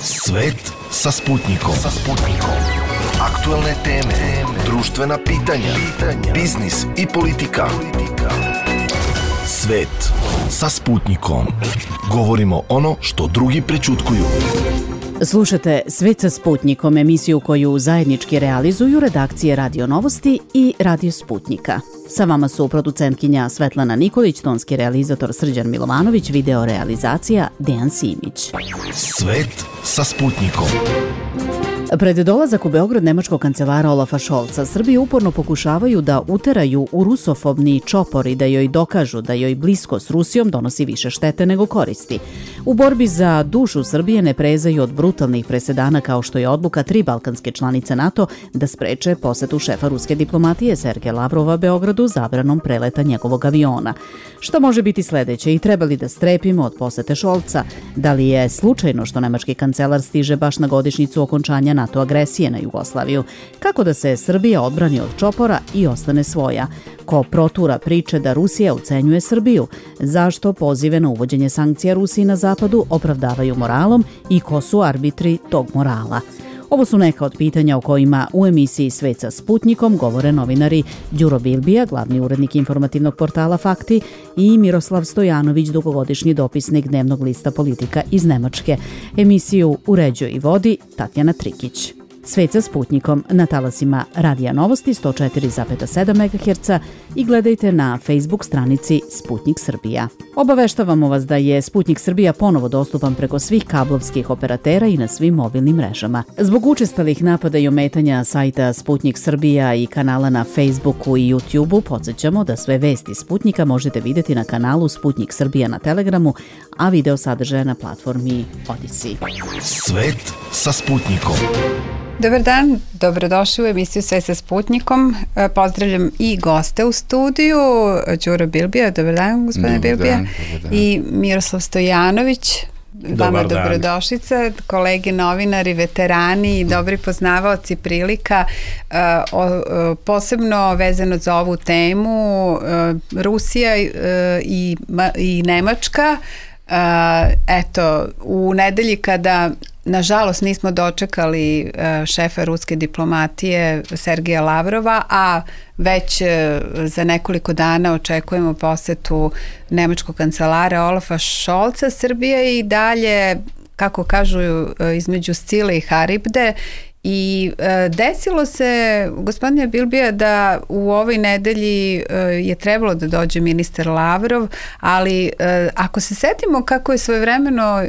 Svet sa Sputnikom. Aktuelne teme, društvena pitanja, biznis i politika. Svet sa Sputnikom. Govorimo ono što drugi prećutkuju. Slušate Svet sa Sputnikom, emisiju koju zajednički realizuju redakcije Radio Novosti i Radio Sputnika. Sa vama su producentkinja Svetlana Nikolić, tonski realizator Srđan Milovanović, video realizacija Dejan Simić. Svet sa Sputnikom. Pred dolazak u Beograd nemačkog kancelara Olafa Scholza, Srbi uporno pokušavaju da uteraju u rusofobni čopor i da joj dokažu da joj blisko s Rusijom donosi više štete nego koristi. U borbi za dušu Srbije ne prezaju od brutalnih presedana kao što je odluka 3 balkanske članice NATO da spreče posetu šefa ruske diplomatije Sergeja Lavrova Beogradu zabranom preleta njegovog aviona. Što može biti sledeće i treba li da strepimo od posete Scholza? Da li je slučajno što nemački kancelar stiže baš na godišnjicu okončanja NATO agresije na Jugoslaviju? Kako da se Srbija odbrani od čopora i ostane svoja? Ko protura priče da Rusija ucenjuje Srbiju? Zašto pozive na uvođenje sankcija Rusiji na zapadu opravdavaju moralom i ko su arbitri tog morala? Ovo su neka od pitanja o kojima u emisiji Svet sa Sputnikom govore novinari Đuro Bilbija, glavni urednik informativnog portala Fakti, i Miroslav Stojanović, dugogodišnji dopisnik dnevnog lista Politika iz Nemačke. Emisiju uređuje i vodi Tatjana Trikić. Svet sa Sputnikom na talasima Radija Novosti 104,7 MHz i gledajte na Facebook stranici Sputnik Srbija. Obaveštavamo vas da je Sputnik Srbija ponovo dostupan preko svih kablovskih operatera i na svim mobilnim mrežama. Zbog učestalih napada i ometanja sajta Sputnik Srbija i kanala na Facebooku i YouTubeu, podsjećamo da sve vesti Sputnika možete vidjeti na kanalu Sputnik Srbija na Telegramu, a video sadržaja na platformi Odisi. Svet sa Sputnikom. Dobar dan, dobrodošli u emisiju Sve sa Sputnikom. Pozdravljam i goste u studiju, Đuro Bilbija, dobar dan gospodine Bilbija, i Miroslav Stojanović, vama dobrodošlica, kolege novinari, veterani i dobri poznavaoci prilika, posebno vezano za ovu temu, Rusija i Nemačka. Eto, u nedelji kada nažalost nismo dočekali šefa ruske diplomatije Sergeja Lavrova, a već za nekoliko dana očekujemo posetu nemačkog kancelara Olafa Scholza, Srbija i dalje, kako kažu, između Scile i Haribde. I desilo se, gospodine Bilbija, da u ovoj nedelji je trebalo da dođe ministar Lavrov, ali ako se setimo kako je svojevremeno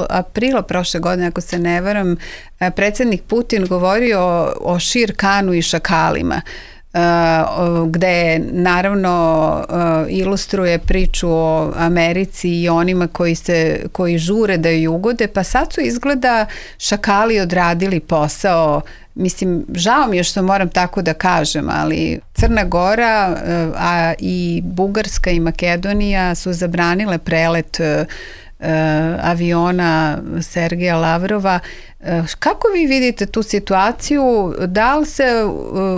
aprila prošle godine, ako se ne varam, predsjednik Putin govorio o Šir Kanu i šakalima, gde naravno ilustruje priču o Americi i onima koji žure da ju ugode, pa sad su izgleda šakali odradili posao. Mislim, žao mi je što moram tako da kažem, ali Crna Gora, a i Bugarska i Makedonija su zabranile prelet aviona Sergeja Lavrova. Kako vi vidite tu situaciju? Da li se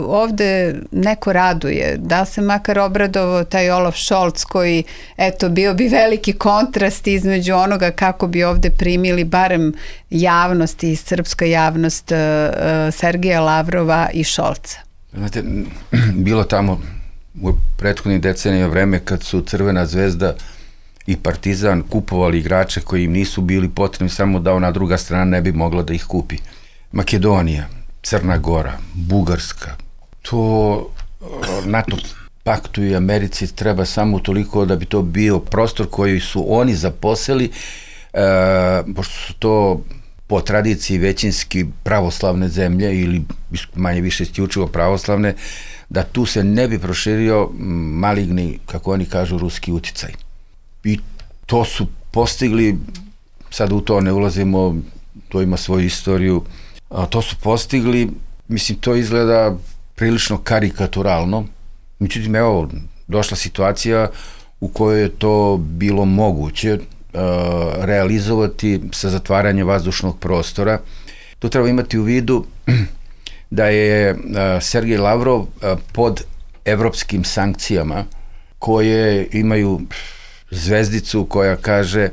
ovde neko raduje? Da li se makar obradovao taj Olaf Scholz koji, eto, bio bi veliki kontrast između onoga kako bi ovde primili barem javnost i srpska javnost Sergeja Lavrova i Scholza? Znate, bilo tamo u prethodnih decenija vreme kad su Crvena zvezda i Partizan kupovali igrače koji im nisu bili potrebni, samo da ona druga strana ne bi mogla da ih kupi. Makedonija, Crna Gora, Bugarska, to NATO paktu i Americi treba samo toliko da bi to bio prostor koji su oni zaposeli, pošto su to po tradiciji većinski pravoslavne zemlje ili manje više isključivo pravoslavne, da tu se ne bi proširio maligni, kako oni kažu, ruski uticaj. I to su postigli, sad u to ne ulazimo, to ima svoju istoriju, to su postigli, mislim, to izgleda prilično karikaturalno, međutim, evo, došla situacija u kojoj je to bilo moguće realizovati sa zatvaranjem vazdušnog prostora. To treba imati u vidu da je Sergej Lavrov pod evropskim sankcijama koje imaju zvezdicu koja kaže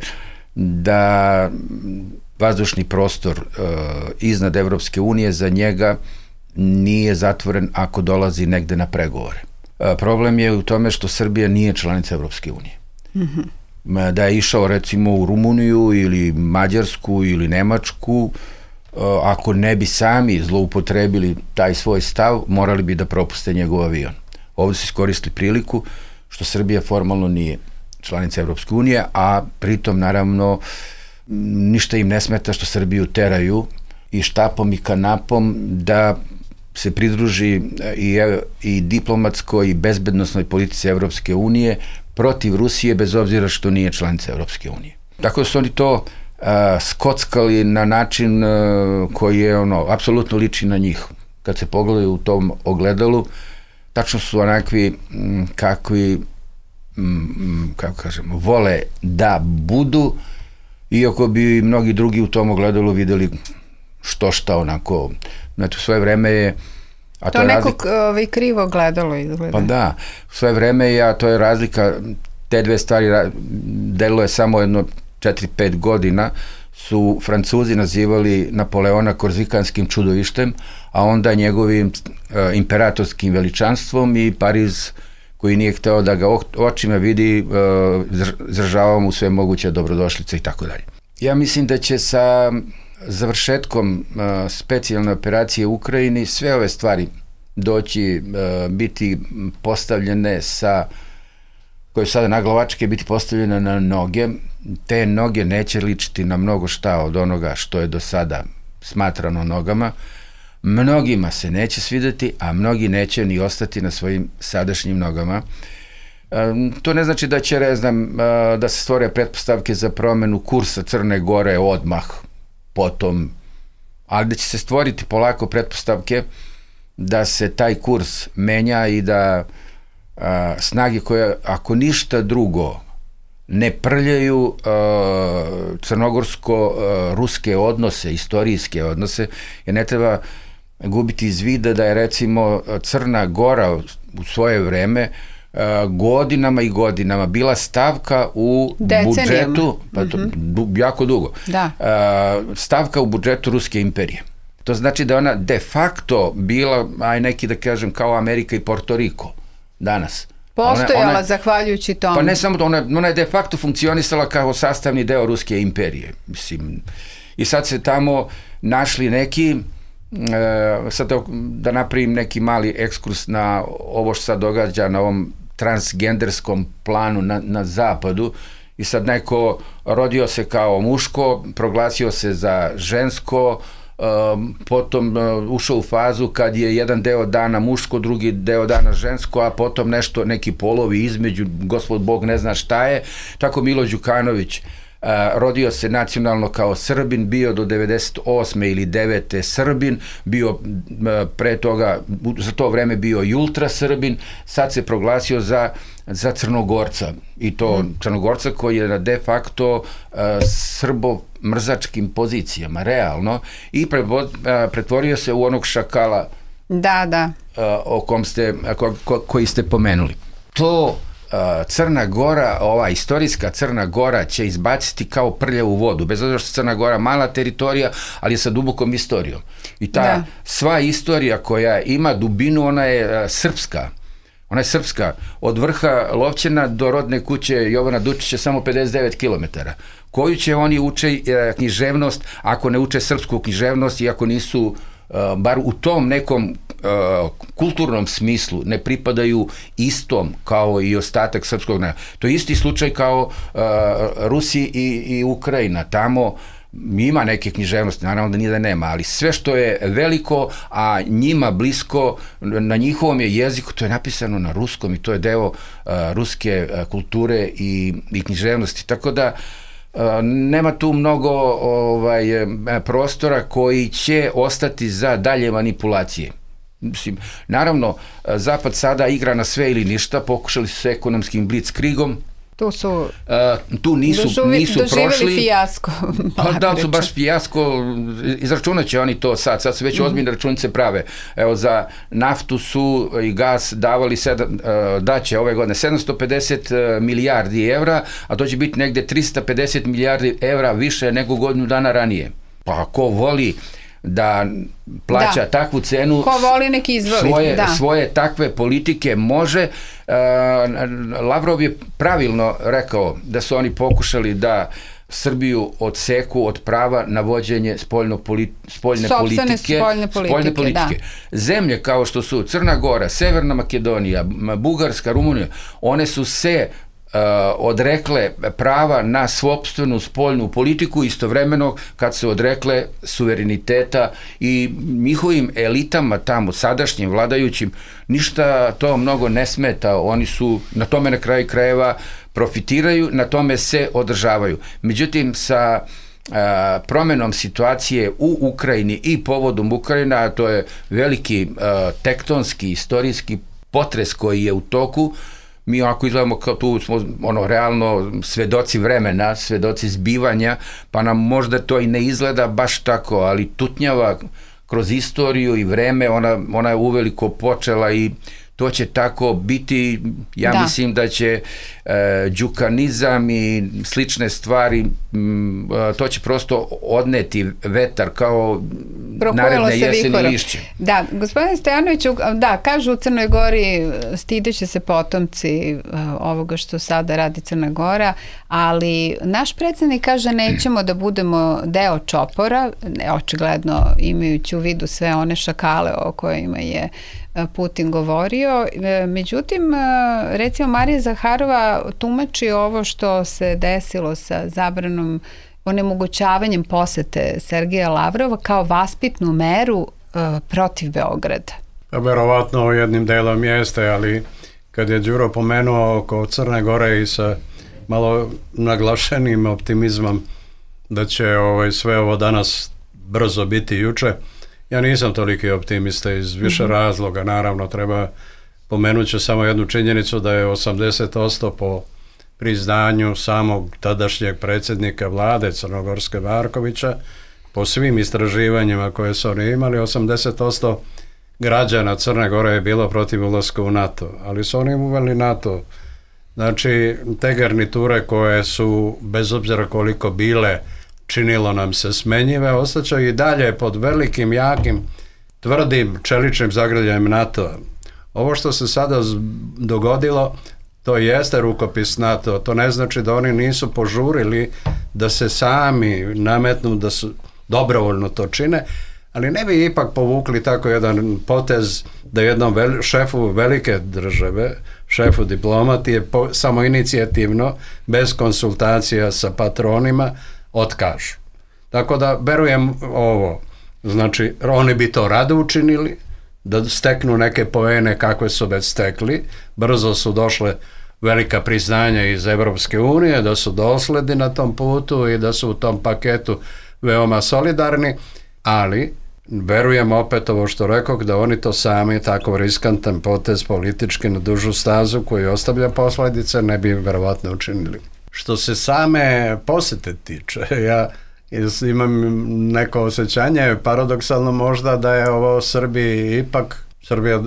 da vazdušni prostor iznad Evropske unije za njega nije zatvoren ako dolazi negde na pregovore. Problem je u tome što Srbija nije članica Evropske unije. Da je išao recimo u Rumuniju ili Mađarsku ili Nemačku, ako ne bi sami zloupotrebili taj svoj stav, morali bi da propuste njegov avion. Ovdje su iskoristili priliku što Srbija formalno nije članica Evropske unije, a pritom naravno ništa im ne smeta što Srbiju teraju i štapom i kanapom da se pridruži i diplomatskoj i bezbednosnoj politici Evropske unije protiv Rusije, bez obzira što nije članica Evropske unije. Tako da su oni to skockali na način koji je apsolutno liči na njih. Kad se pogledaju u tom ogledalu, tačno su onakvi kakvi kako kažemo, vole da budu, iako bi mnogi drugi u tom ogledalu videli što šta onako. Znači, u svoje vreme je... To neko krivo gledalo izgleda. Pa da, u svoje vreme je, a to je razlika, te dve stvari delilo je samo jedno 4-5 godina, su Francuzi nazivali Napoleona korzikanskim čudovištem, a onda njegovim imperatorskim veličanstvom, i Pariz, koji nije hteo da ga očima vidi, izražavao mu sve moguće dobrodošlice i tako dalje. Ja mislim da će sa završetkom specijalne operacije u Ukrajini sve ove stvari biti postavljene koje su sada naglavačke, biti postavljene na noge. Te noge neće ličiti na mnogo šta od onoga što je do sada smatrano nogama. Mnogima se neće svideti, a mnogi neće ni ostati na svojim sadašnjim nogama. To ne znači da će, da se stvore pretpostavke za promenu kursa Crne Gore odmah, potom, ali da će se stvoriti polako pretpostavke da se taj kurs menja i da snage koje, ako ništa drugo, ne prljaju crnogorsko-ruske odnose, istorijske odnose, jer ne treba gubiti iz vida da je recimo Crna Gora u svoje vreme godinama i godinama bila stavka u budžetu, jako dugo, stavka u budžetu Ruske imperije. To znači da ona de facto bila, neki da kažem, kao Amerika i Porto Riko danas. Postojala zahvaljujući tomu. Pa ne samo to, ona je de facto funkcionisala kao sastavni deo Ruske imperije. Mislim, i sad se tamo našli neki, sad da napravim neki mali ekskurs na ovo što sad događa na ovom transgenderskom planu na zapadu, i sad neko rodio se kao muško, proglasio se za žensko, potom ušao u fazu kad je jedan deo dana muško, drugi deo dana žensko, a potom neki polovi između, gospod Bog ne zna šta je. Tako Milo Đukanović rodio se nacionalno kao Srbin, bio do 98. ili 9. Srbin, bio pre toga, za to vreme bio i ultra Srbin, sad se proglasio za Crnogorca, i to Crnogorca koji je na de facto srbo-mrzačkim pozicijama, realno, i pretvorio se u onog šakala o kom koji ste pomenuli. To Crna Gora, ova istorijska Crna Gora će izbaciti kao prljavu vodu, bez obzira što Crna Gora mala teritorija, ali je sa dubokom istorijom. I ta sva istorija koja ima dubinu, ona je srpska. Ona je srpska. Od vrha Lovćena do rodne kuće Jovana Dučića samo 59 km. Koju će oni uče književnost, ako ne uče srpsku književnost i ako nisu, bar u tom nekom kulturnom smislu, ne pripadaju istom kao i ostatak srpskog naroda. To je isti slučaj kao Rusiji i Ukrajina. Tamo ima neke književnosti, naravno da nije da nema, ali sve što je veliko, a njima blisko, na njihovom je jeziku, to je napisano na ruskom i to je deo ruske kulture i književnosti. Tako da nema tu mnogo prostora koji će ostati za dalje manipulacije. Mislim, naravno, Zapad sada igra na sve ili ništa, pokušali su s ekonomskim blitzkriegom, Tu nisu prošli. Fijasko. Da li su baš fijasko, izračunat će oni to sad su već ozbiljne računice prave. Evo, za naftu su i gas davali daće ove godine 750 milijardi evra, a to će biti negde 350 milijardi evra više nego godinu dana ranije. Pa ko voli da plaća takvu cenu, ko voli neki izvoli, svoje takve politike može. Lavrov je pravilno rekao da su oni pokušali da Srbiju odseku od prava na vođenje spoljne politike. Zemlje kao što su Crna Gora, Severna Makedonija, Bugarska, Rumunija, one su se odrekle prava na sopstvenu spoljnu politiku istovremeno kad se odrekle suvereniteta i njihovim elitama tamo, sadašnjim vladajućim, ništa to mnogo ne smeta. Oni su na tome na kraju krajeva profitiraju, na tome se održavaju. Međutim, sa promenom situacije u Ukrajini i povodom Ukrajina, a to je veliki tektonski, istorijski potres koji je u toku, mi ovako izgledamo kao tu smo realno svedoci vremena, svedoci zbivanja, pa nam možda to i ne izgleda baš tako, ali tutnjava kroz istoriju i vreme, ona je uveliko počela i to će tako biti. Ja mislim da će đukanizam i slične stvari, to će prosto odneti vetar kao naredne jeseni lišće. Da, gospodine Stojanoviću, kažu u Crnoj Gori stideće se potomci ovoga što sada radi Crna Gora, ali naš predsjednik kaže nećemo da budemo deo čopora, očigledno imajući u vidu sve one šakale o kojima je Putin govorio. Međutim, recimo Marija Zaharova tumači ovo što se desilo sa zabranom, onemogućavanjem posete Sergeja Lavrova kao vaspitnu meru protiv Beograda. Verovatno jednim delom jeste, ali kad je Đuro pomenuo oko Crne Gore i sa malo naglašenim optimizmom da će sve ovo danas brzo biti juče, ja nisam toliki optimista iz više razloga. Naravno, treba pomenuti samo jednu činjenicu da je 80% po priznanju samog tadašnjeg predsjednika vlade Crnogorske Markovića, po svim istraživanjima koje su oni imali, 80% građana Crne Gore je bilo protiv ulaska u NATO, ali su oni uveli NATO. Znači, te garniture koje su, bez obzira koliko bile, činilo nam se smenjive, ostaće i dalje pod velikim, jakim, tvrdim čeličnim zagrljajem NATO. Ovo što se sada dogodilo, to jeste rukopis NATO. To ne znači da oni nisu požurili da se sami nametnu, da su dobrovoljno to čine, ali ne bi ipak povukli tako jedan potez da jednom šefu velike države, šefu diplomatije, samoinicijativno, bez konsultacija sa patronima, otkažu. Tako da verujem ovo, znači oni bi to rado učinili, da steknu neke poene kakve su već stekli, brzo su došle velika priznanja iz Evropske unije, da su dosledni na tom putu i da su u tom paketu veoma solidarni, ali verujem opet ovo što rekao, da oni to sami tako riskantan potez politički na dužu stazu koji ostavlja posljedice ne bi verovatno učinili. Što se same posete tiče, ja imam neko osjećanje, paradoksalno možda, da je ovo Srbija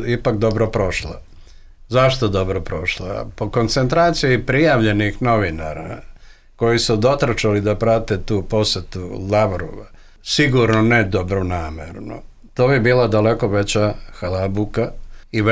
ipak dobro prošla. Zašto dobro prošla? Po koncentraciji prijavljenih novinara koji su dotrčali da prate tu posetu Lavrova, sigurno ne dobronamerno. To bi bila daleko veća halabuka i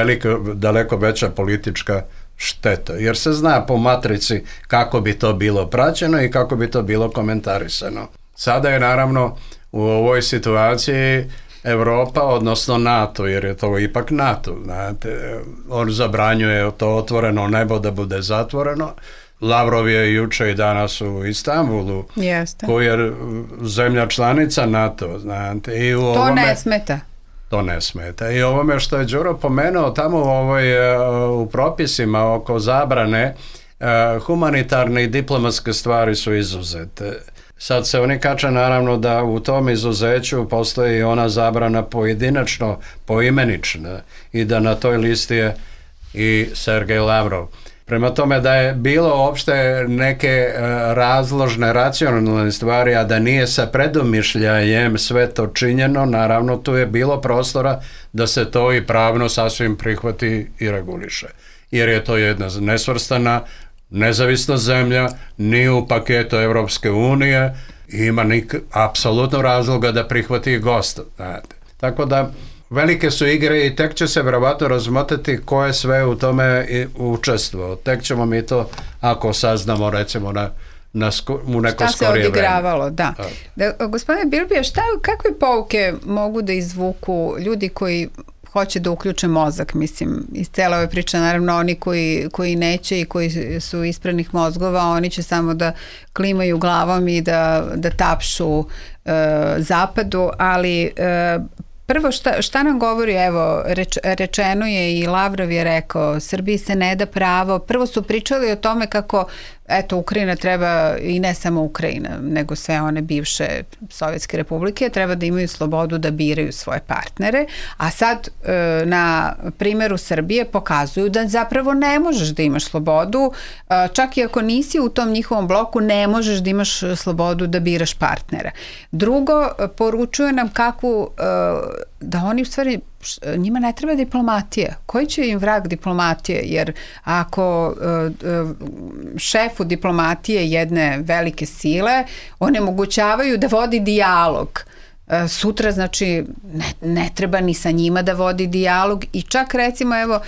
daleko veća politička šteta, jer se zna po matrici kako bi to bilo praćeno i kako bi to bilo komentarisano. Sada je naravno u ovoj situaciji Evropa, odnosno NATO, jer je to ipak NATO, znate, on zabranjuje to otvoreno nebo da bude zatvoreno. Lavrov je juče i danas u Istanbulu, koji je zemlja članica NATO, znate. I to ne smeta. To ne smeta. I ovome što je Đuro pomenuo tamo u propisima oko zabrane, humanitarne i diplomatske stvari su izuzete. Sad se oni kače naravno da u tom izuzeću postoji ona zabrana pojedinačno, poimenična i da na toj listi je i Sergej Lavrov. Prema tome da je bilo uopšte neke razložne, racionalne stvari, a da nije sa predomišljajem sve to činjeno, naravno tu je bilo prostora da se to i pravno sasvim prihvati i reguliše. Jer je to jedna nesvrstana, nezavisna zemlja, nije u paketu Evropske unije, ima apsolutno razloga da prihvati gosta. Tako da velike su igre i tek će se verovatno razmotriti ko je sve u tome učestvovao. Tek ćemo mi to, ako saznamo, recimo u neko skorije vreme. Šta se odigravalo, da. Gospodine Bilbija, kakve pouke mogu da izvuku ljudi koji hoće da uključe mozak, mislim, iz cele ove priče, naravno oni koji neće i koji su ispranih mozgova, oni će samo da klimaju glavom i da tapšu zapadu, ali prvo šta nam govori, evo, rečeno je i Lavrov je rekao, Srbiji se ne da pravo, prvo su pričali o tome kako, eto, Ukrajina treba, i ne samo Ukrajina, nego sve one bivše sovjetske republike, treba da imaju slobodu da biraju svoje partnere, a sad na primjeru Srbije pokazuju da zapravo ne možeš da imaš slobodu, čak i ako nisi u tom njihovom bloku, ne možeš da imaš slobodu da biraš partnera. Drugo, poručuje nam kakvu, da oni u stvari, njima ne treba diplomatija. Koji će im vrag diplomatije? Jer ako šefu diplomatije jedne velike sile onemogućavaju da vodi dijalog, sutra, znači, ne treba ni sa njima da vodi dijalog i čak recimo, evo,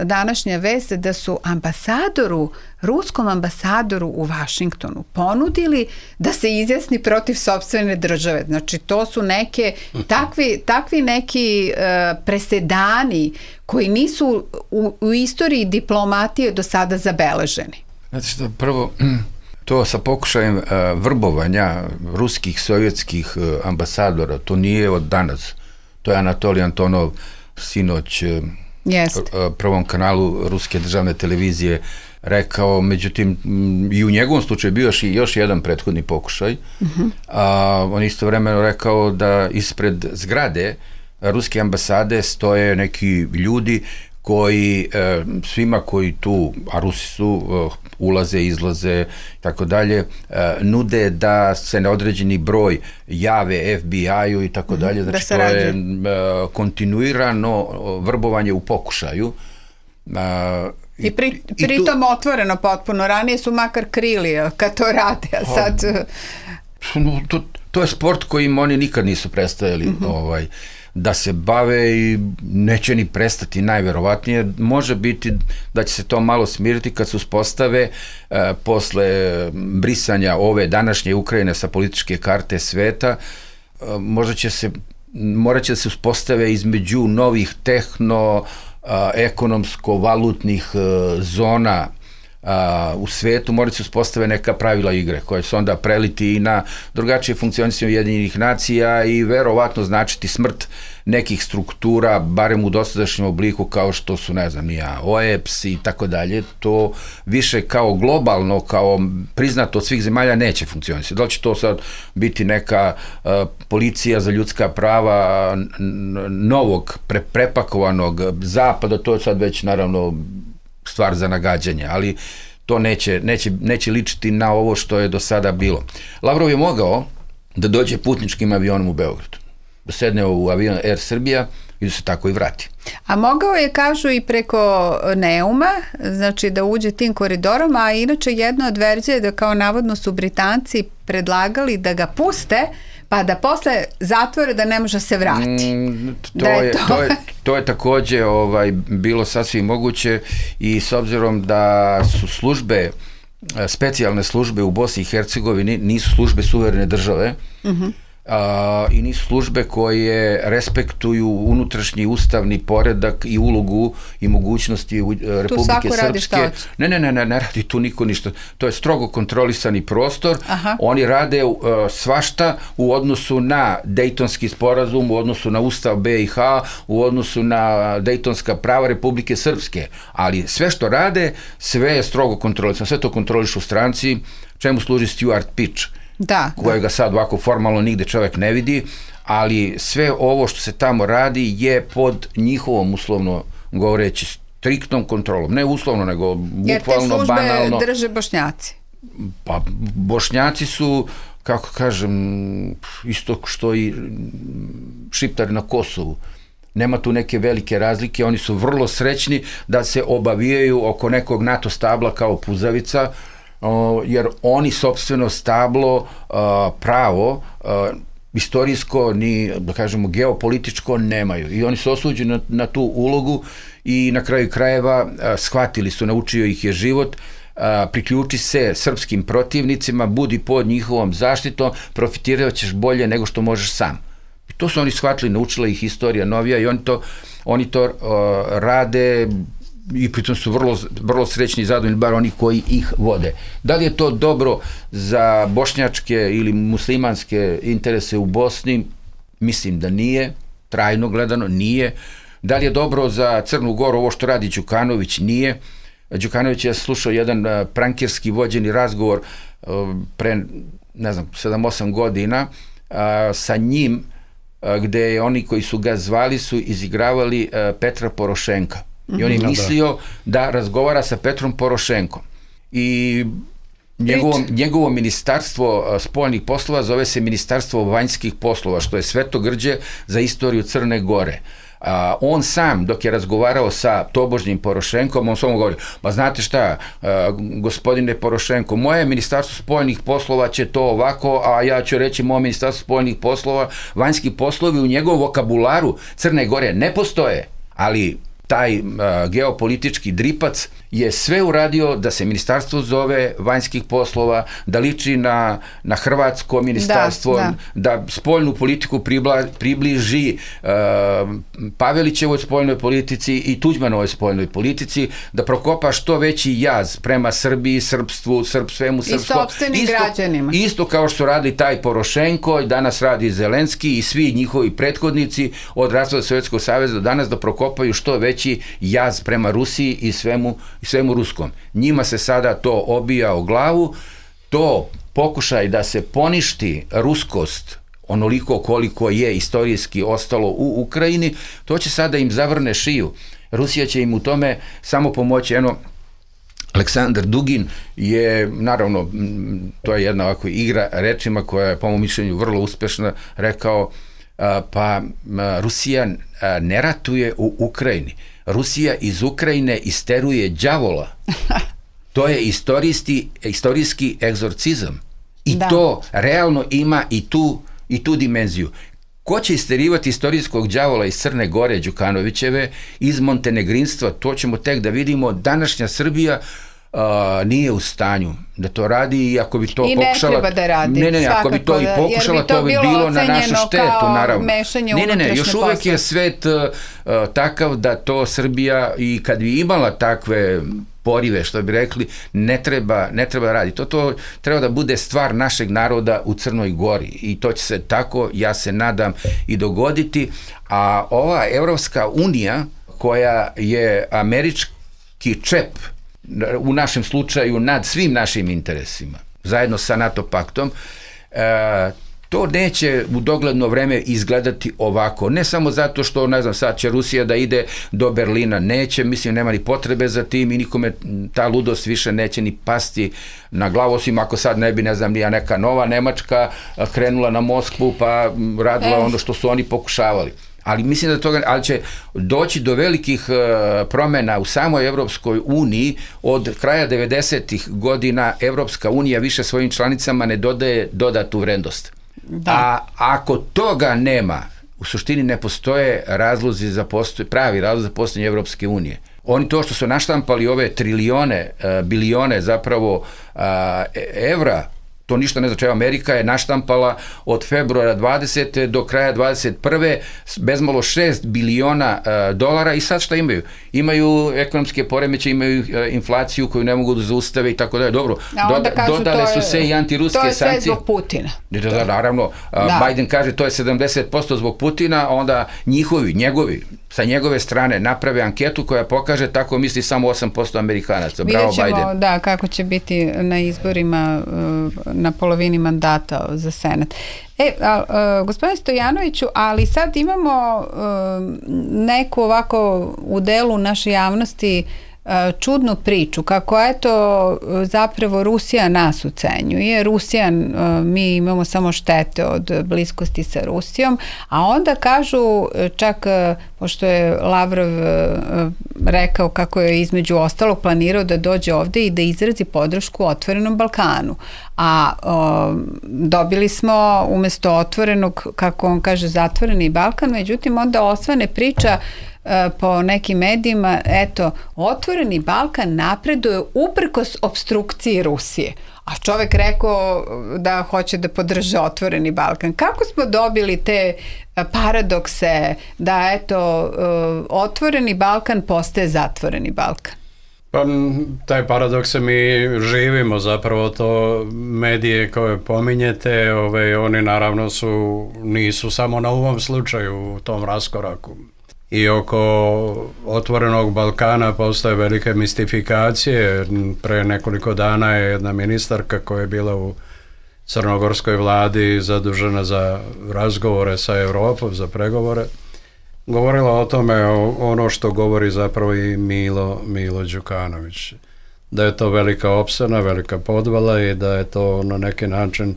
današnja vest da su ruskom ambasadoru u Vašingtonu ponudili da se izjasni protiv sopstvene države. Znači, to su takvi neki presedani koji nisu u istoriji diplomatije do sada zabeleženi. Znači što, prvo, to sa pokušajem vrbovanja ruskih, sovjetskih ambasadora, to nije od danas. To je Anatolij Antonov sinoć Prvom kanalu Ruske državne televizije rekao, međutim i u njegovom slučaju bio još jedan prethodni pokušaj. On istovremeno rekao da ispred zgrade ruske ambasade stoje neki ljudi koji svima koji tu, a Rusi su, ulaze, izlaze, tako dalje, nude da se na određeni broj jave FBI-u i tako dalje. Znači, to je kontinuirano vrbovanje u pokušaju. I pritom otvoreno potpuno. Ranije su makar krili kad to rade, a sad... To je sport kojim oni nikad nisu prestajali da se bave i neće ni prestati, najverovatnije. Može biti da će se to malo smiriti kad se uspostave posle brisanja ove današnje Ukrajine sa političke karte sveta. Morat će da se uspostave između novih ekonomsko-valutnih zona u svetu, morat se uspostave neka pravila igre koje se onda preliti i na drugačije funkcionisanje Ujedinjenih nacija i verovatno značiti smrt nekih struktura, barem u dosadašnjem obliku kao što su, ne znam, OEPS i tako dalje. To više kao globalno, kao priznato od svih zemalja neće funkcionisati. Da li će to sad biti neka policija za ljudska prava novog, prepakovanog zapada, to je sad već naravno stvar za nagađanje, ali to neće ličiti na ovo što je do sada bilo. Lavrov je mogao da dođe putničkim avionom u Beograd, da sedne u avion Air Srbija i da se tako i vrati. A mogao je, kažu, i preko Neuma, znači da uđe tim koridorom, a inače jedna od verzija je da kao navodno su Britanci predlagali da ga puste, pa da posle zatvore da ne može se vrati. To je takođe bilo sasvim moguće i s obzirom da su službe, specijalne službe u Bosni i Hercegovini nisu službe suverene države, i nisu službe koje respektuju unutrašnji ustavni poredak i ulogu i mogućnosti Republike Srpske. Ne radi tu niko ništa. To je strogo kontrolisani prostor. Oni rade svašta u odnosu na Dejtonski sporazum, u odnosu na Ustav BiH, u odnosu na Dejtonska prava Republike Srpske. Ali sve što rade, sve je strogo kontrolisano. Sve to kontrolišu stranci. Čemu služi Stuart Pitch? Kojega sad ovako formalno nigde čovjek ne vidi, ali sve ovo što se tamo radi je pod njihovom, uslovno govoreći, striktnom kontrolom, ne uslovno, nego bukvalno, jer te službe banalno. drže Bošnjaci. Pa Bošnjaci su, kako kažem, isto što i Šiptari na Kosovu. Nema tu neke velike razlike, oni su vrlo srećni da se obavijaju oko nekog NATO stabla kao puzavica, jer oni sopstveno stablo pravo istorijsko ni, da kažemo, geopolitičko nemaju. I oni su osuđeni na tu ulogu i na kraju krajeva shvatili su, naučio ih je život, priključi se srpskim protivnicima, budi pod njihovom zaštitom, profitirat ćeš bolje nego što možeš sam. I to su oni shvatili, naučila ih istorija novija i oni to rade i pritom su vrlo srećni i zadovoljni, bar oni koji ih vode. Da li je to dobro za bošnjačke ili muslimanske interese u Bosni? Mislim da nije, trajno gledano nije. Da li je dobro za Crnu Goru ovo što radi Đukanović? Nije. Đukanović je slušao jedan prankirski vođeni razgovor pre, ne znam, 7-8 godina sa njim, gde oni koji su ga zvali su izigravali Petra Porošenka. I on je mislio da razgovara sa Petrom Porošenkom. I njegovo ministarstvo spoljnih poslova zove se Ministarstvo vanjskih poslova, što je svetogrđe za istoriju Crne Gore. On sam, dok je razgovarao sa tobožnjim Porošenkom, on samo govori, pa znate šta, gospodine Porošenko, moje ministarstvo spoljnih poslova će to ovako, a ja ću reći moje ministarstvo spoljnih poslova, vanjski poslovi u njegovom vokabularu Crne Gore ne postoje, ali taj geopolitički dripac je sve uradio da se ministarstvo zove vanjskih poslova, da liči na hrvatsko ministarstvo, da spoljnu politiku približi Pavelićevoj spoljnoj politici i Tuđmanovoj spoljnoj politici, da prokopa što veći jaz prema Srbiji, srpstvu, svemu srpsko. I sopstvenim građanima. Isto kao što radi taj Porošenko, danas radi Zelenski i svi njihovi prethodnici od raspada Sovjetskog saveza do danas, da prokopaju što veći jaz prema Rusiji i svemu ruskom. Njima se sada to obija o glavu, to pokušaj da se poništi ruskost onoliko koliko je istorijski ostalo u Ukrajini, to će sada im zavrne šiju. Rusija će im u tome samo pomoći. Aleksandar Dugin je, naravno, to je jedna ovako igra rečima koja je po mom mišljenju vrlo uspešna, rekao, pa Rusija ne ratuje u Ukrajini. Rusija iz Ukrajine isteruje đavola. To je istorijski egzorcizam. I to realno ima i tu dimenziju. Ko će isterivati istorijskog đavola iz Crne Gore, Đukanovićeve, iz montenegrinstva, to ćemo tek da vidimo. Današnja Srbija nije u stanju da to radi i ako bi to pokušala... I ne treba da radi. Ne, ako bi to i pokušala, to bi bilo na našu štetu, naravno. Ne, još uvek je svet takav da to Srbija, i kad bi imala takve porive, što bi rekli, ne treba radi. To treba da bude stvar našeg naroda u Crnoj Gori i to će se tako, ja se nadam, i dogoditi. A ova Evropska unija, koja je američki čep u našem slučaju nad svim našim interesima, zajedno sa NATO paktom, to neće u dogledno vreme izgledati ovako. Ne samo zato što, ne znam, sad će Rusija da ide do Berlina, neće, mislim, nema ni potrebe za tim i nikome ta ludost više neće ni pasti na glavu, osim ako sad ne bi, ne znam, neka nova Nemačka krenula na Moskvu pa radila ono što su oni pokušavali. Ali mislim ali će doći do velikih promjena u samoj Evropskoj uniji. Od kraja 90-ih godina Evropska unija više svojim članicama ne dodaje dodatu vrednost. A ako toga nema, u suštini ne postoje pravi razlozi za postojanje Evropske unije. Oni to što su naštampali ove trilijone, bilione zapravo evra, to ništa ne znači. Amerika je naštampala od februara 20. do kraja 21. bezmalo 6 biliona dolara i sad šta imaju? Imaju ekonomske poremeće, imaju inflaciju koju ne mogu da zaustave i tako dalje. Dobro, dodale su se i antiruske sankcije. To je sve zbog Putina. Da, naravno. Biden kaže to je 70% zbog Putina, a onda njegovi sa njegove strane naprave anketu koja pokaže tako misli samo 8% Amerikanaca. Bravo Biden. Vidjet ćemo, da, kako će biti na izborima na polovini mandata za Senat. Gospodine Stojanoviću, ali sad imamo neku ovako u delu naše javnosti čudnu priču, kako eto zapravo Rusija nas ucenjuje. Mi imamo samo štete od bliskosti sa Rusijom, a onda kažu, čak pošto je Lavrov rekao kako je između ostalog planirao da dođe ovde i da izrazi podršku Otvorenom Balkanu. A dobili smo umesto otvorenog, kako on kaže, zatvoreni Balkan, međutim onda osvane priča po nekim medijima, eto, Otvoreni Balkan napreduje uprkos opstrukciji Rusije. A čovek rekao da hoće da podrže Otvoreni Balkan. Kako smo dobili te paradokse da, eto, Otvoreni Balkan postaje zatvoreni Balkan? Pa, taj paradoks mi živimo, zapravo to medije koje pominjete, oni naravno nisu samo na ovom slučaju u tom raskoraku. I oko Otvorenog Balkana postoje velike mistifikacije. Pre nekoliko dana je jedna ministarka koja je bila u crnogorskoj vladi zadužena za razgovore sa Evropom, za pregovore, govorila o tome ono što govori zapravo i Milo Đukanović. Da je to velika opsena, velika podvala i da je to na neki način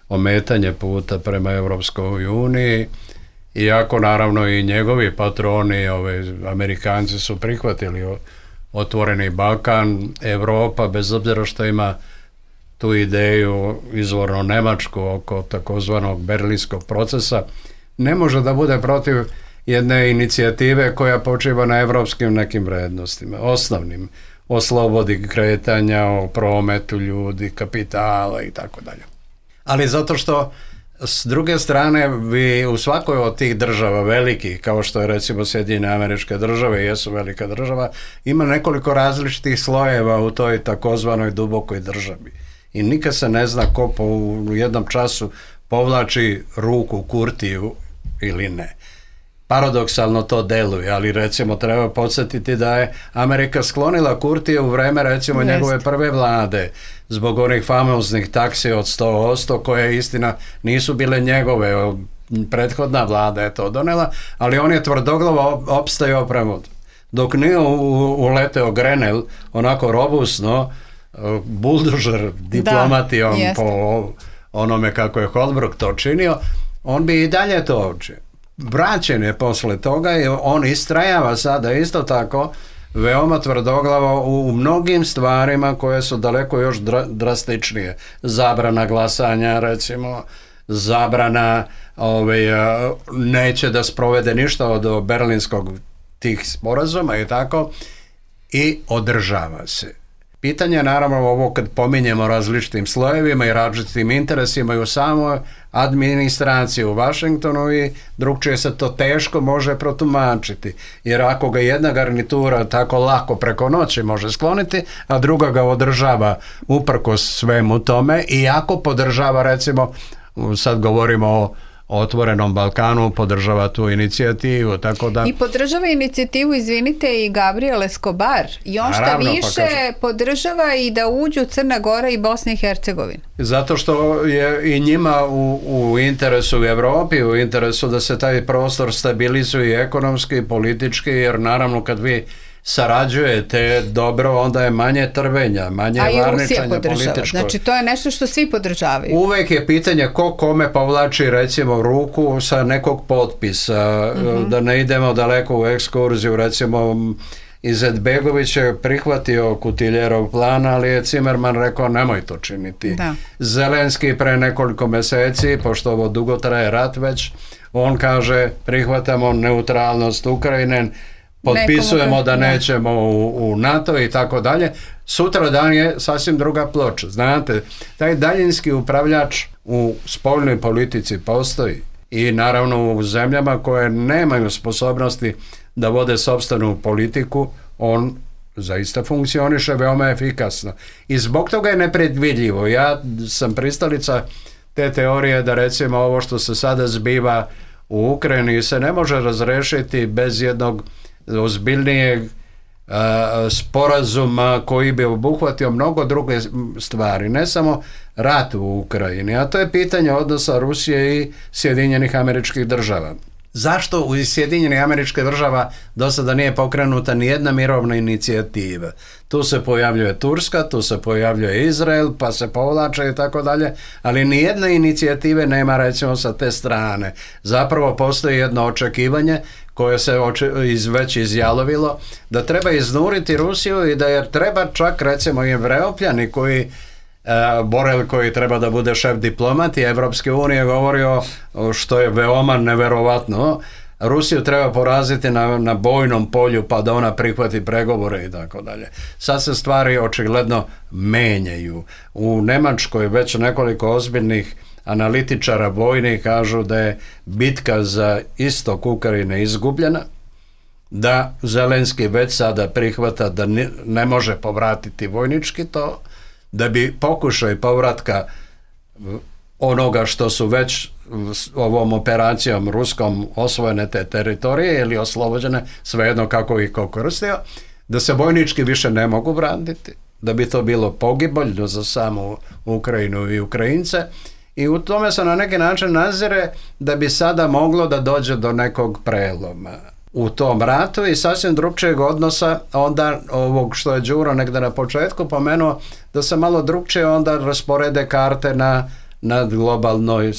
ometanje puta prema Evropskoj uniji. Iako naravno i njegovi patroni, Amerikanci su prihvatili Otvoreni Balkan, Evropa, bez obzira što ima tu ideju izvorno nemačku oko takozvanog berlinskog procesa, ne može da bude protiv jedne inicijative koja počiva na evropskim nekim vrednostima, osnovnim, o slobodi kretanja, o prometu ljudi, kapitala i tako dalje. Ali zato što s druge strane, vi u svakoj od tih država velikih, kao što je recimo Sjedinjene Američke Države, jesu velika država, ima nekoliko različitih slojeva u toj takozvanoj dubokoj državi. I nikad se ne zna ko u jednom času povlači ruku Kurtiju ili ne. Paradoksalno to deluje, ali recimo treba podsjetiti da je Amerika sklonila Kurtije u vreme recimo njegove prve vlade zbog onih famoznih taksi od 100% koje istina nisu bile njegove, prethodna vlada je to donela, ali on je tvrdoglavo opstajao prema. Dok nije uleteo Grenell onako robustno, buldožer diplomatijom po onome kako je Holbrooke to činio, on bi i dalje to učio. Vraćen je posle toga i on istrajava sada isto tako veoma tvrdoglavo u mnogim stvarima koje su daleko još drastičnije. Zabrana glasanja, recimo, zabrana neće da sprovede ništa od berlinskog tih sporazuma i tako, i održava se. Pitanje je naravno ovo kad pominjemo različitim slojevima i različitim interesima i u samoj administraciji u Vašingtonu, i drugčije se to teško može protumačiti. Jer ako ga jedna garnitura tako lako preko noći može skloniti, a druga ga održava uprkos svemu tome, i ako podržava, recimo, sad govorimo o Otvorenom Balkanu, podržava tu inicijativu, tako da... I podržava inicijativu, izvinite, i Gabriel Escobar. I on šta više podržava i da uđu Crna Gora i Bosna i Hercegovina. Zato što je i njima u interesu u Evropi, u interesu da se taj prostor stabilizuje ekonomski i politički, jer naravno kad vi sarađujete dobro, onda je manje trvenja, manje varničanja političko. Znači to je nešto što svi podržavaju. Uvek je pitanje ko kome povlači recimo ruku sa nekog potpisa, da ne idemo daleko u ekskurziju, recimo Izetbegović je prihvatio Kutiljerov plan, ali je Cimerman rekao nemoj to činiti. Da. Zelenski pre nekoliko meseci, pošto ovo dugo traje rat već, on kaže prihvatamo neutralnost Ukrajine, potpisujemo da nećemo u NATO i tako dalje. Sutra dan je sasvim druga ploča. Znate, taj daljinski upravljač u spoljnoj politici postoji, i naravno u zemljama koje nemaju sposobnosti da vode sopstvenu politiku, on zaista funkcioniše veoma efikasno. I zbog toga je nepredvidljivo. Ja sam pristalica te teorije da recimo ovo što se sada zbiva u Ukrajini se ne može razrešiti bez jednog ozbiljnijeg sporazuma koji bi obuhvatio mnogo druge stvari, ne samo rat u Ukrajini, a to je pitanje odnosa Rusije i Sjedinjenih Američkih Država. Zašto u Sjedinjenih Američkih Država do sada nije pokrenuta ni jedna mirovna inicijativa? Tu se pojavljuje Turska, tu se pojavljuje Izrael, pa se povlače i tako dalje, ali ni jedne inicijative nema, recimo, sa te strane. Zapravo postoji jedno očekivanje koje se već izjalovilo, da treba iznuriti Rusiju i da je treba čak, recimo, i Evropljani koji Borel, koji treba da bude šef diplomati Evropske unije, govorio, što je veoma neverovatno, Rusiju treba poraziti na bojnom polju pa da ona prihvati pregovore i tako dalje. Sad se stvari očigledno menjaju. U Nemačkoj već nekoliko ozbiljnih analitičara vojnih kažu da je bitka za istok Ukrajine izgubljena, da Zelenski već sada prihvata da ne može povratiti vojnički to, da bi pokušaj povratka onoga što su već ovom operacijom ruskom osvojene te teritorije ili oslobođene, svejedno kako ih ko koristio, da se vojnički više ne mogu vratiti, da bi to bilo pogibeljno za samu Ukrajinu i Ukrajince, i u tome se na neki način nazire da bi sada moglo da dođe do nekog preloma u tom ratu i sasvim drugčijeg odnosa onda ovog što je Đuro negde na početku pomenuo, da se malo drugčije onda rasporede karte na globalnoj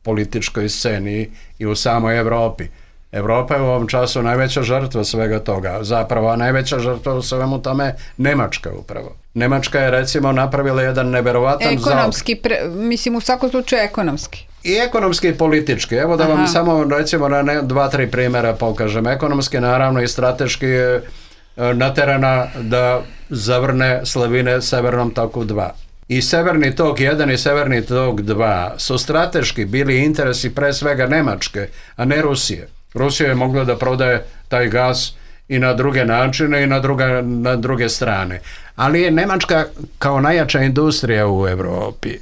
političkoj sceni i u samoj Evropi. Evropa je u ovom času najveća žrtva svega toga. Zapravo, najveća žrtva u svemu tome Nemačka upravo. Nemačka je, recimo, napravila jedan neverovatan ekonomski, mislim, u svakom slučaju ekonomski. I ekonomski i politički. Evo da vam samo, recimo, na 2-3 primjera pokažem. Ekonomski, naravno, i strateški je naterana da zavrne slavine Severnom toku 2. I Severni tok 1 i Severni tok 2 su strateški bili interesi pre svega Nemačke, a ne Rusije. Rusija je mogla da prodaje taj gas i na druge načine i na druge strane. Ali je Nemačka kao najjača industrija u Evropi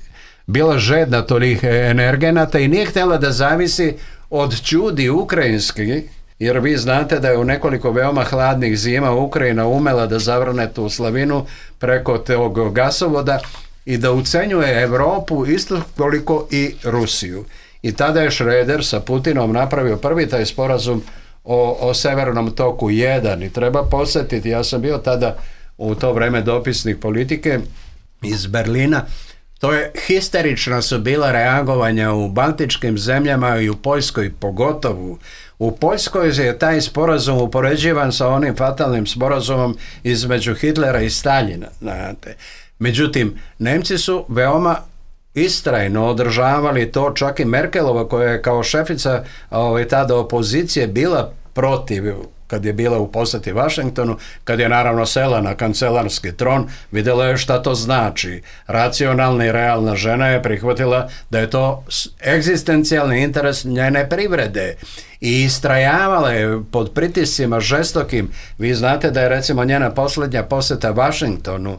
bila žedna tolih energenata i nije htjela da zavisi od ćudi ukrajinskih, jer vi znate da je u nekoliko veoma hladnih zima Ukrajina umela da zavrne tu slavinu preko tog gasovoda i da ucenjuje Evropu isto koliko i Rusiju. I tada je Schröder sa Putinom napravio prvi taj sporazum o Severnom toku 1 i treba podsjetiti, ja sam bio tada u to vreme dopisnik politike iz Berlina, to je histerična su bila reagovanja u baltičkim zemljama i u Poljskoj pogotovo. U Poljskoj je taj sporazum upoređivan sa onim fatalnim sporazumom između Hitlera i Staljina. Znate. Međutim, Nemci su veoma istrajno održavali to, čak i Merkelova koja je kao šefica tada opozicije bila protiv, kad je bila u posjeti Vašingtonu, kad je naravno sela na kancelarski tron, vidjela je šta to znači. Racionalna i realna žena je prihvatila da je to egzistencijalni interes njene privrede i istrajavala je pod pritiscima žestokim. Vi znate da je, recimo, njena posljednja posjeta Vašingtonu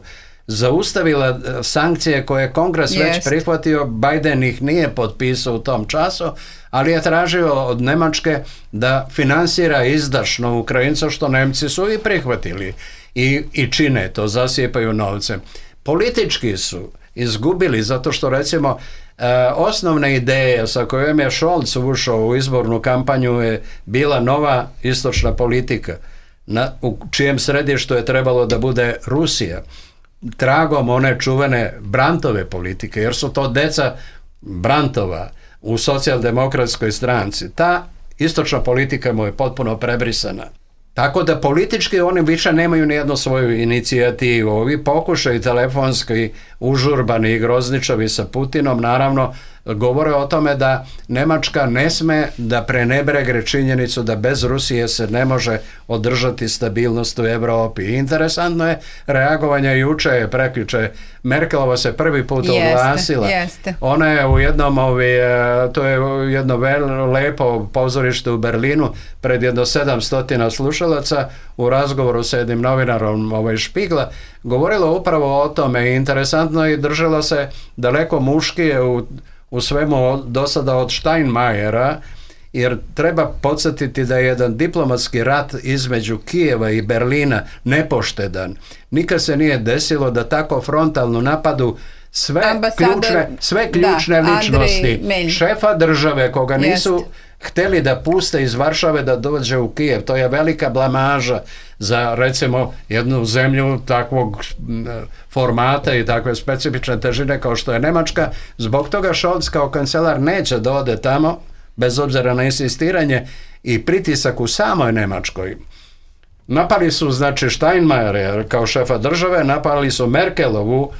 zaustavila sankcije koje je Kongres već prihvatio, Biden ih nije potpisao u tom času, ali je tražio od Nemačke da finansira izdašno Ukrajinca, što Nemci su i prihvatili i čine to, zasipaju novce. Politički su izgubili zato što, recimo, osnovna ideja sa kojom je Scholz ušao u izbornu kampanju je bila nova istočna politika, u čijem središtu je trebalo da bude Rusija, tragom one čuvene Brandtove politike, jer su to deca Brandtova u socijaldemokratskoj stranci. Ta istočna politika mu je potpuno prebrisana. Tako da politički oni više nemaju nijednu svoju inicijativu. Ovi pokušaj telefonski užurbani i grozničavi sa Putinom naravno govore o tome da Nemačka ne sme da prenebregne činjenicu da bez Rusije se ne može održati stabilnost u Evropi. Interesantno je reagovanje juče, prekjuče. Merkelova se prvi put oglasila. Ona je u jednom, to je jedno lepo pozorište u Berlinu, pred jedno 700 slušalaca, u razgovoru sa jednim novinarom Špigla, govorila upravo o tome. Interesantno i držala se daleko muškije u svemu do sada od Steinmeiera jer treba podsjetiti da je jedan diplomatski rat između Kijeva i Berlina nepoštedan. Nikad se nije desilo da tako frontalno napadu sve ključne ličnosti šefa države koga nisu htjeli da puste iz Varšave da dođe u Kijev. To je velika blamaža za, recimo, jednu zemlju takvog formata i takve specifične težine kao što je Nemačka. Zbog toga Scholz kao kancelar neće da ode tamo, bez obzira na insistiranje i pritisak u samoj Nemačkoj. Napali su, znači, Steinmeiera kao šefa države, napali su Merkelovu,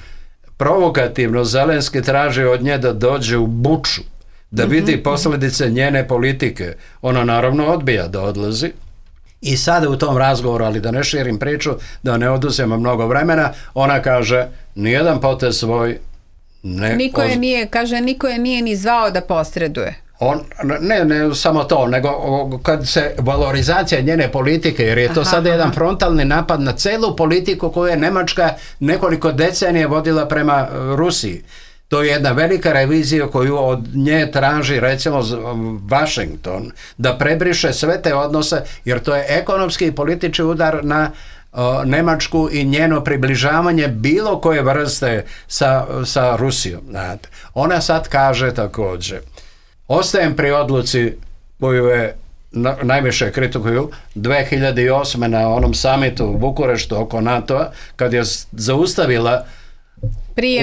provokativno Zelenski traži od nje da dođe u Buču, da vidi posljedice njene politike. Ona naravno odbija da odlazi. I sada u tom razgovoru, ali da ne širim priču, da ne oduzemo mnogo vremena, ona kaže, nijedan potez svoj niko je nije ni zvao da posreduje. Ne samo to, nego kad se valorizacija njene politike, jer je to sada jedan frontalni napad na celu politiku koju je Nemačka nekoliko decenija vodila prema Rusiji. To je jedna velika revizija koju od nje traži, recimo, Washington, da prebriše sve te odnose, jer to je ekonomski i politički udar na Nemačku i njeno približavanje bilo koje vrste sa Rusijom. Znate. Ona sad kaže također, ostajem pri odluci koju je najviše kritikuju 2008. na onom samitu u Bukureštu oko NATO-a, kad je zaustavila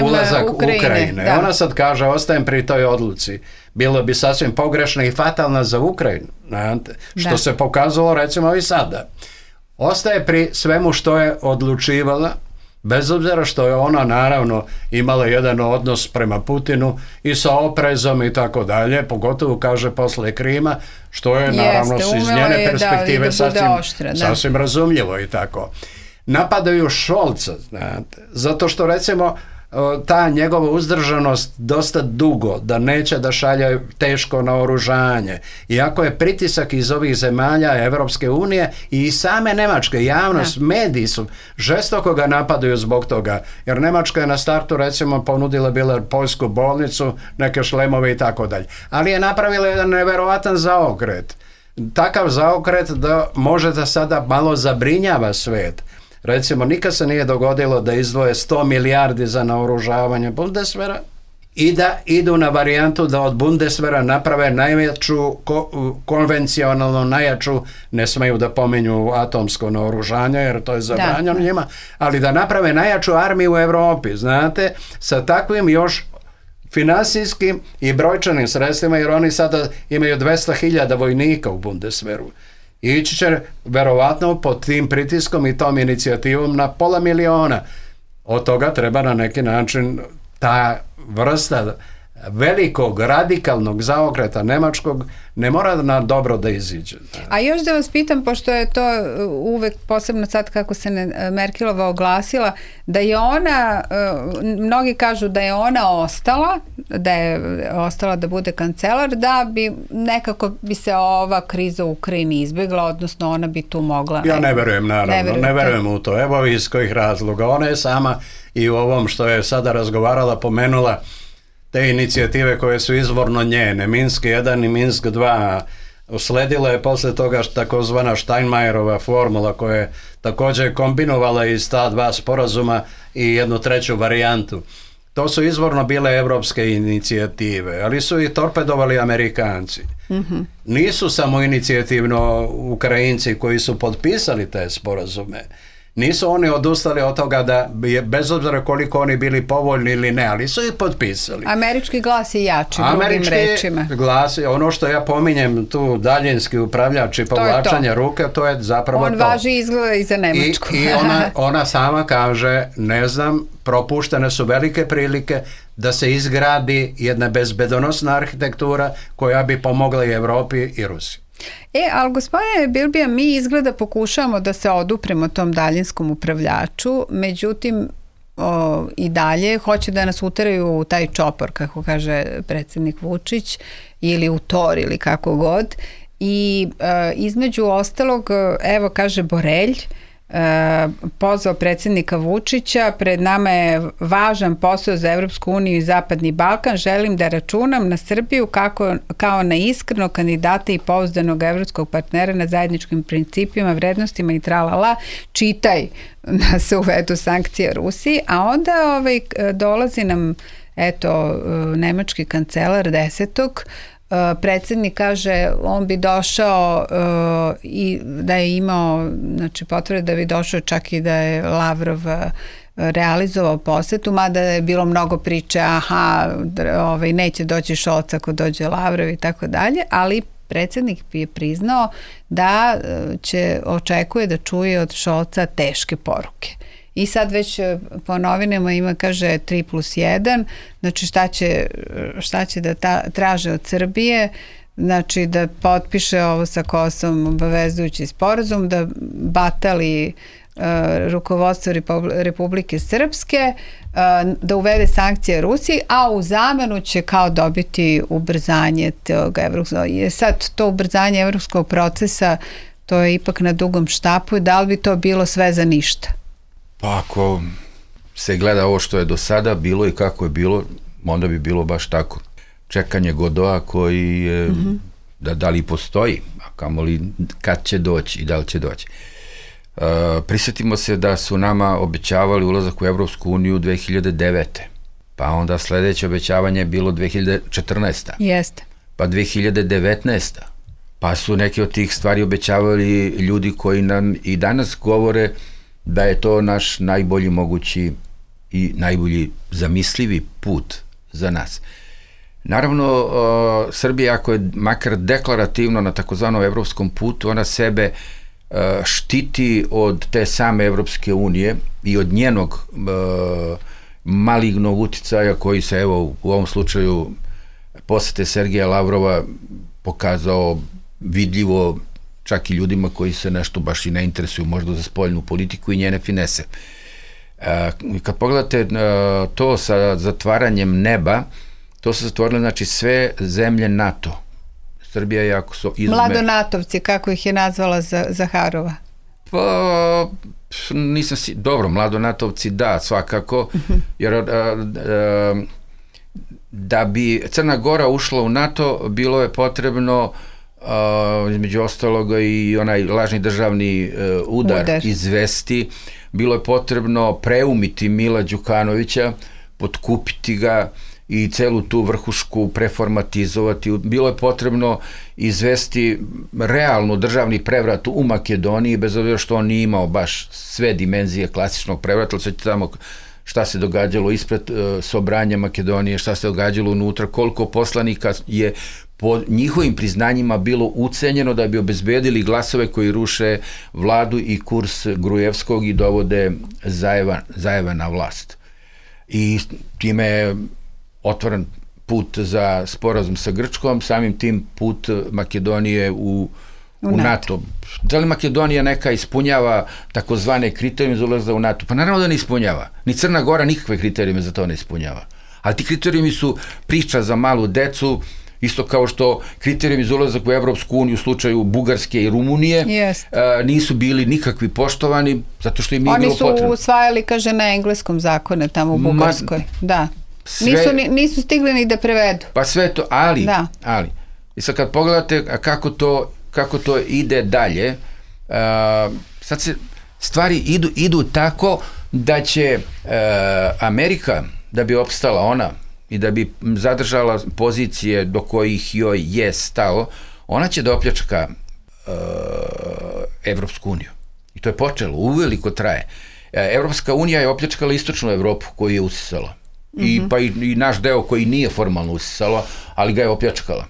ulazak Ukrajine. Da. Ona sad kaže, ostajem pri toj odluci. Bilo bi sasvim pogrešno i fatalno za Ukrajinu, što se pokazalo recimo i sada. Ostaje pri svemu što je odlučivala, bez obzira što je ona naravno imala jedan odnos prema Putinu i sa oprezom i tako dalje, pogotovo kaže posle Krima, što je naravno iz njene perspektive sasvim razumljivo i tako. Napadaju Scholza, zato što recimo ta njegova uzdržanost dosta dugo, da neće da šalje teško naoružanje. Iako je pritisak iz ovih zemalja Evropske unije i same Nemačke, javnost, mediji su žestoko ga napadaju zbog toga. Jer Nemačka je na startu recimo ponudila bila poljsku bolnicu, neke šlemove i tako dalje. Ali je napravila jedan neverovatan zaokret. Takav zaokret da može da sada malo zabrinjava svet. Recimo, nikad se nije dogodilo da izdvoje 100 milijardi za naoružavanje Bundeswehra i da idu na varijantu da od Bundeswehra naprave najveću, konvencionalno najjaču, ne smeju da pominju atomsko naoružanje jer to je zabranjeno njima, ali da naprave najjaču armiju u Europi, znate, sa takvim još finansijskim i brojčanim sredstvima, jer oni sada imaju 200.000 vojnika u Bundeswehru. Ići će verovatno pod tim pritiskom i tom inicijativom na 500.000. Od toga treba na neki način ta vrsta velikog radikalnog zaokreta nemačkog ne mora na dobro da iziđe. A još da vas pitam, pošto je to uvek posebno sad kako se Merkelova oglasila, da je ona, mnogi kažu da je ona ostala da bude kancelar, da bi nekako bi se ova kriza u Ukrajini izbjegla, odnosno ona bi tu mogla... Ja ne verujem, naravno, ne verujem u to. Evo iz kojih razloga. Ona je sama i u ovom što je sada razgovarala pomenula te inicijative koje su izvorno njene, Minsk 1 i Minsk 2, usledila je posle toga takozvana Steinmeierova formula koja je također kombinovala iz ta dva sporazuma i jednu treću varijantu. To su izvorno bile evropske inicijative, ali su i torpedovali Amerikanci. Nisu samo inicijativno Ukrajinci koji su potpisali te sporazume. Nisu oni odustali od toga da bez obzira koliko oni bili povoljni ili ne, ali su ih potpisali. Američki glas je jači, drugim rečima. Američki glas, ono što ja pominjem tu daljinski upravljač i povlačanje ruke, to je zapravo on važi izgleda i za Nemačku. I ona sama kaže, ne znam, propuštene su velike prilike da se izgradi jedna bezbedonosna arhitektura koja bi pomogla i Evropi i Rusiji. Ali gospodine Bilbija, mi izgleda pokušavamo da se odupremo tom daljinskom upravljaču, međutim i dalje hoće da nas uteraju u taj čopor, kako kaže predsjednik Vučić, ili u tor ili kako god. I između ostalog, evo kaže Borelj, pozvao predsjednika Vučića, pred nama je važan posao za Evropsku uniju i Zapadni Balkan, želim da računam na Srbiju kao na iskrenog kandidata i pouzdanog evropskog partnera na zajedničkim principima, vrednostima i tralala, čitaj da se uvedu sankcije Rusiji, a onda dolazi nam nemački kancelar 10. Predsjednik kaže on bi došao i da je imao potvrde da bi došao čak i da je Lavrov realizovao posetu, mada je bilo mnogo priče neće doći Šolc ako dođe Lavrov i tako dalje, ali predsjednik je priznao da očekuje da čuje od Šolca teške poruke. I sad već po novinama ima, kaže, 3+1, znači šta će da traže od Srbije, znači da potpiše ovo sa Kosovom obavezujući sporazum, da batali rukovodstvo Republike Srpske, da uvede sankcije Rusiji, a u zamenu će kao dobiti ubrzanje tog evropskog. Sad to ubrzanje evropskog procesa, to je ipak na dugom štapu, da li bi to bilo sve za ništa? Pa ako se gleda ovo što je do sada bilo i kako je bilo, onda bi bilo baš tako. Čekanje Godoa koji je, da li postoji, a kamoli kad će doći i da li će doći. Prisjetimo se da su nama obećavali ulazak u Evropsku uniju 2009. Pa onda sledeće obećavanje je bilo 2014. Jeste. Pa 2019. Pa su neke od tih stvari obećavali ljudi koji nam i danas govore da je to naš najbolji mogući i najbolji zamislivi put za nas. Naravno, Srbija, ako je makar deklarativno na takozvanom evropskom putu, ona sebe štiti od te same Evropske unije i od njenog malignog uticaja koji se, evo, u ovom slučaju posete Sergeja Lavrova pokazao vidljivo čak i ljudima koji se nešto baš i ne interesuju možda za spoljnu politiku i njene finese. Kad pogledate to sa zatvaranjem neba, to su zatvorile, znači, sve zemlje NATO. Srbija je jako su izme... Mladonatovci, kako ih je nazvala Zaharova? Pa, nisam si... Dobro, mladonatovci, da, svakako, jer da bi Crna Gora ušla u NATO, bilo je potrebno između ostaloga i onaj lažni državni udar izvesti, bilo je potrebno preumiti Mila Đukanovića, potkupiti ga i celu tu vrhušku preformatizovati, bilo je potrebno izvesti realno državni prevrat u Makedoniji, bez obzira što on nije imao baš sve dimenzije klasičnog prevrata, ali sve tamo šta se događalo ispred Sobranja Makedonije, šta se događalo unutra, koliko poslanika je po njihovim priznanjima bilo ucenjeno da bi obezbedili glasove koji ruše vladu i kurs Grujevskog i dovode Zajeva na vlast. I time je otvoren put za sporazum sa Grčkom, samim tim put Makedonije u NATO. Da li Makedonija neka ispunjava takozvane kriterijume za ulazak u NATO? Pa naravno da ne ispunjava. Ni Crna Gora nikakve kriterijume za to ne ispunjava. Ali ti kriterijumi su priča za malu decu, isto kao što kriterijumi za ulazak u Evropsku uniju u slučaju Bugarske i Rumunije nisu bili nikakvi poštovani, zato što im nije bilo potrebno. Oni su usvajali, kaže, na engleskom zakone tamo u Bugarskoj. Da. Nisu stigli ni da prevedu. Pa sve to, ali. I sad kad pogledate kako to ide dalje, sad se stvari idu tako da će Amerika, da bi opstala ona i da bi zadržala pozicije do kojih joj je stalo, ona će da opljačka Evropsku uniju. I to je počelo, uveliko traje. Evropska unija je opljačkala istočnu Evropu koju je usisala. Pa i naš deo koji nije formalno usisala, ali ga je opljačkala.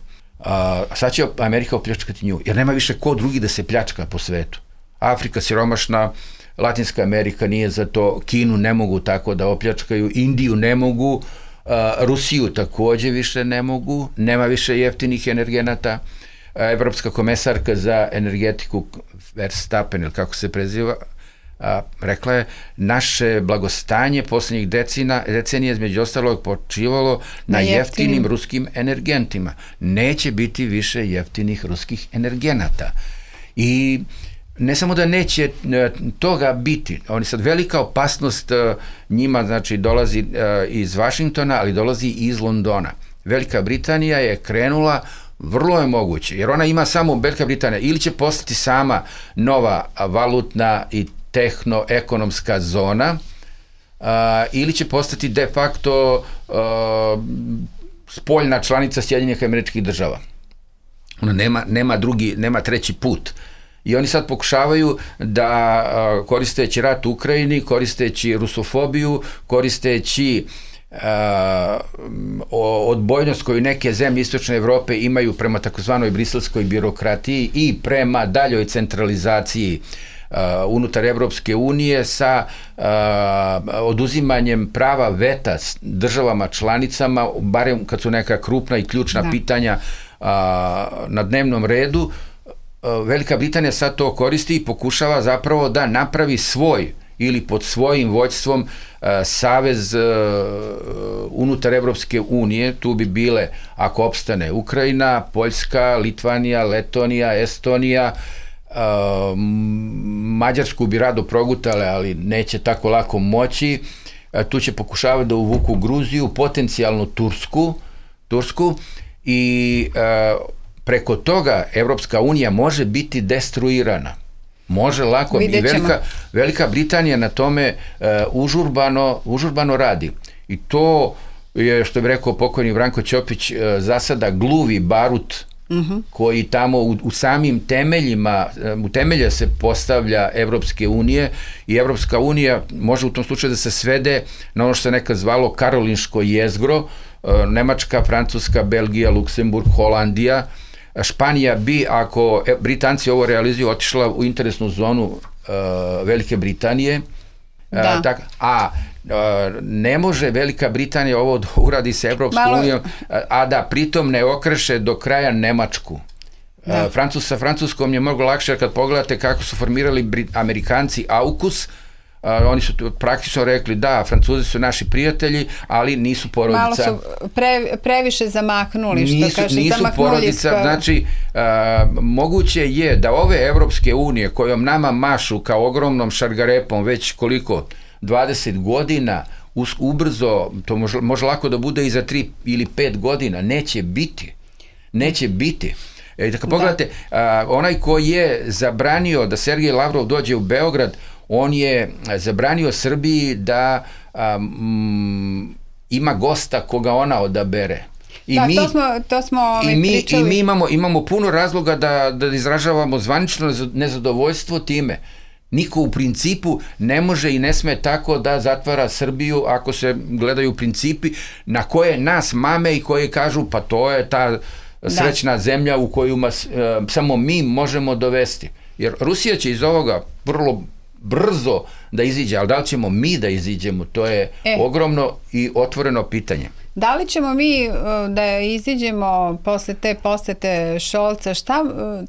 Sad će Amerika opljačkati nju, jer nema više ko drugi da se pljačka po svetu. Afrika siromašna, Latinska Amerika nije za to, Kinu ne mogu tako da opljačkaju, Indiju ne mogu, Rusiju takođe više ne mogu, nema više jeftinih energenata. Evropska komesarka za energetiku Verstappen, ili kako se preziva, rekla je, naše blagostanje poslednjih decenija između ostalog počivalo na jeftinim ruskim energentima. Neće biti više jeftinih ruskih energenata. I ne samo da neće toga biti, oni sad velika opasnost njima, znači dolazi iz Vašingtona, ali dolazi i iz Londona. Velika Britanija je krenula, vrlo je moguće, jer ona ima samo, Velika Britanija, ili će postati sama nova valutna i tehno-ekonomska zona, ili će postati de facto spoljna članica Sjedinjenih Američkih Država. Ona nema treći put. I oni sad pokušavaju da, koristeći rat u Ukrajini, koristeći rusofobiju, koristeći odbojnost koju neke zemlje istočne Evrope imaju prema takozvanoj briselskoj birokratiji i prema daljoj centralizaciji unutar Evropske unije sa oduzimanjem prava veta državama članicama, barem kad su neka krupna i ključna pitanja na dnevnom redu. Velika Britanija sad to koristi i pokušava zapravo da napravi svoj ili pod svojim vođstvom savez unutar Evropske unije. Tu bi bile, ako opstane, Ukrajina, Poljska, Litvanija, Letonija, Estonija, Mađarsku bi rado progutale, ali neće tako lako moći. Tu će pokušavati da uvuku Gruziju, potencijalno Tursku i preko toga Evropska unija može biti destruirana. Može lako. I Velika Britanija na tome užurbano radi. I to je, što bi rekao pokojni Branko Ćopić, za sada gluvi barut koji tamo u samim temeljima, u temelje se postavlja Evropske unije i Evropska unija može u tom slučaju da se svede na ono što se nekad zvalo Karolinško jezgro, Nemačka, Francuska, Belgija, Luksemburg, Holandija. Španija bi, ako Britanci ovo realizuju, otišla u interesnu zonu Velike Britanije, ne može Velika Britanija ovo da uradi sa Evropskom unijom, a da pritom ne okreše do kraja Nemačku. Sa Francuskom je mnogo lakše, kad pogledate kako su formirali Amerikanci AUKUS, oni su praktično rekli da, Francuzi su naši prijatelji, ali nisu porodica. Malo su previše zamaknuli, što kaže, nisu porodica. Znači, moguće je da ove Evropske unije kojom nama mašu kao ogromnom šargarepom već koliko, 20 godina, ubrzo, to može lako da bude i za 3 ili 5 godina, neće biti. Kad pogledate, onaj ko je zabranio da Sergej Lavrov dođe u Beograd, on je zabranio Srbiji da ima gosta koga ona odabere. I mi imamo puno razloga da izražavamo zvanično nezadovoljstvo time. Niko u principu ne može i ne sme tako da zatvara Srbiju ako se gledaju principi na koje nas mame i koje kažu pa to je ta srećna zemlja u koju samo mi možemo dovesti. Jer Rusija će iz ovoga vrlo brzo da iziđe, ali da li ćemo mi da iziđemo, to je ogromno i otvoreno pitanje. Da li ćemo mi da iziđemo posle te posete Šolca,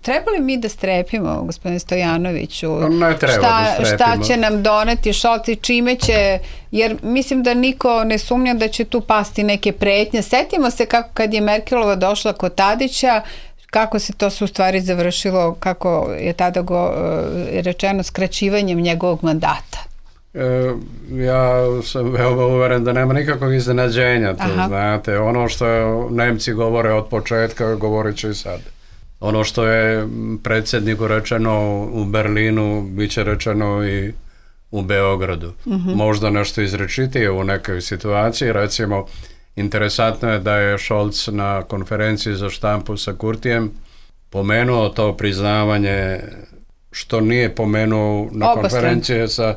treba li mi da strepimo, gospodine Stojanoviću? Ne treba da strepimo. Šta će nam doneti Šolc i čime će, jer mislim da niko ne sumnja da će tu pasti neke pretnje. Setimo se kako kad je Merkelova došla kod Tadića, kako se to su u stvari završilo, kako je tada rečeno, skraćivanjem njegovog mandata. Ja sam veoma uveren da nema nikakvog iznenađenja tu, znate, ono što Nemci govore od početka, govorit će i sad. Ono što je predsjedniku rečeno u Berlinu, bit će rečeno i u Beogradu. Možda nešto izrečitije u nekoj situaciji, recimo, interesantno je da je Scholz na konferenciji za štampu sa Kurtijem pomenuo to priznavanje, što nije pomenuo na konferenciji sa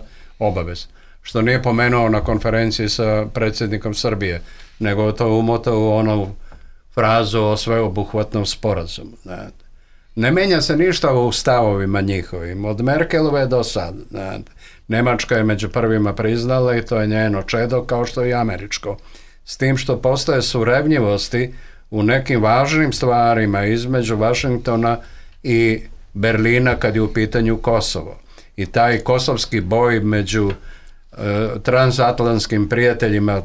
što nije pomenuo na konferenciji sa predsjednikom Srbije, nego to umotao u onu frazu o sveobuhvatnom sporazumu. Ne menja se ništa u stavovima njihovim, od Merkelove do sad. Nemačka je među prvima priznala i to je njeno čedo, kao što i američko. S tim što postoje surevnjivosti u nekim važnim stvarima između Vašingtona i Berlina kad je u pitanju Kosovo. I taj kosovski boj među transatlantskim prijateljima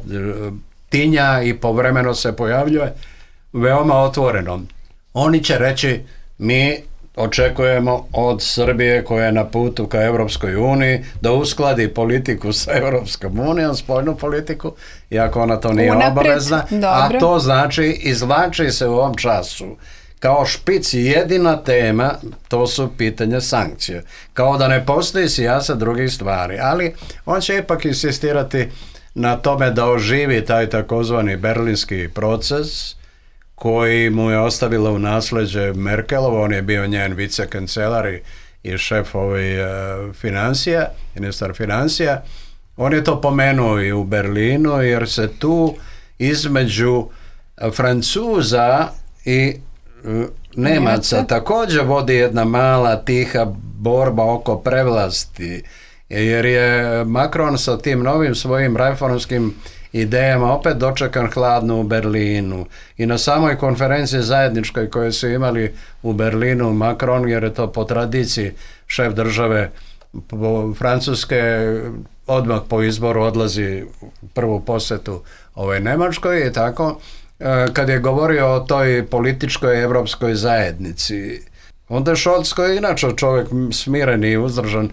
tinja i povremeno se pojavljuje veoma otvoreno. Oni će reći, mi očekujemo od Srbije koja je na putu ka Evropskoj uniji da uskladi politiku sa Evropskom unijom, spoljnu politiku, iako ona to nije obavezna, a to znači izvlači se u ovom času kao špic jedina tema, to su pitanje sankcije. Kao da ne postoji sijasa drugih stvari, ali on će ipak insistirati na tome da oživi taj takozvani berlinski proces koji mu je ostavila u nasleđe Merkelova, on je bio njen vicekancelar i šef financija, ministar financija. On je to pomenuo i u Berlinu, jer se tu između Francuza i Nemaca također vodi jedna mala tiha borba oko prevlasti, jer je Macron sa tim novim svojim reformskim idejama opet dočekan hladno u Berlinu. I na samoj konferenciji zajedničkoj koju su imali u Berlinu Macron, jer je to po tradiciji šef države Francuske, odmah po izboru odlazi u prvu posjetu Nemačkoj i tako, kad je govorio o toj političkoj evropskoj zajednici. Onda je Scholz, koji je inače čovjek smiren i uzdržan,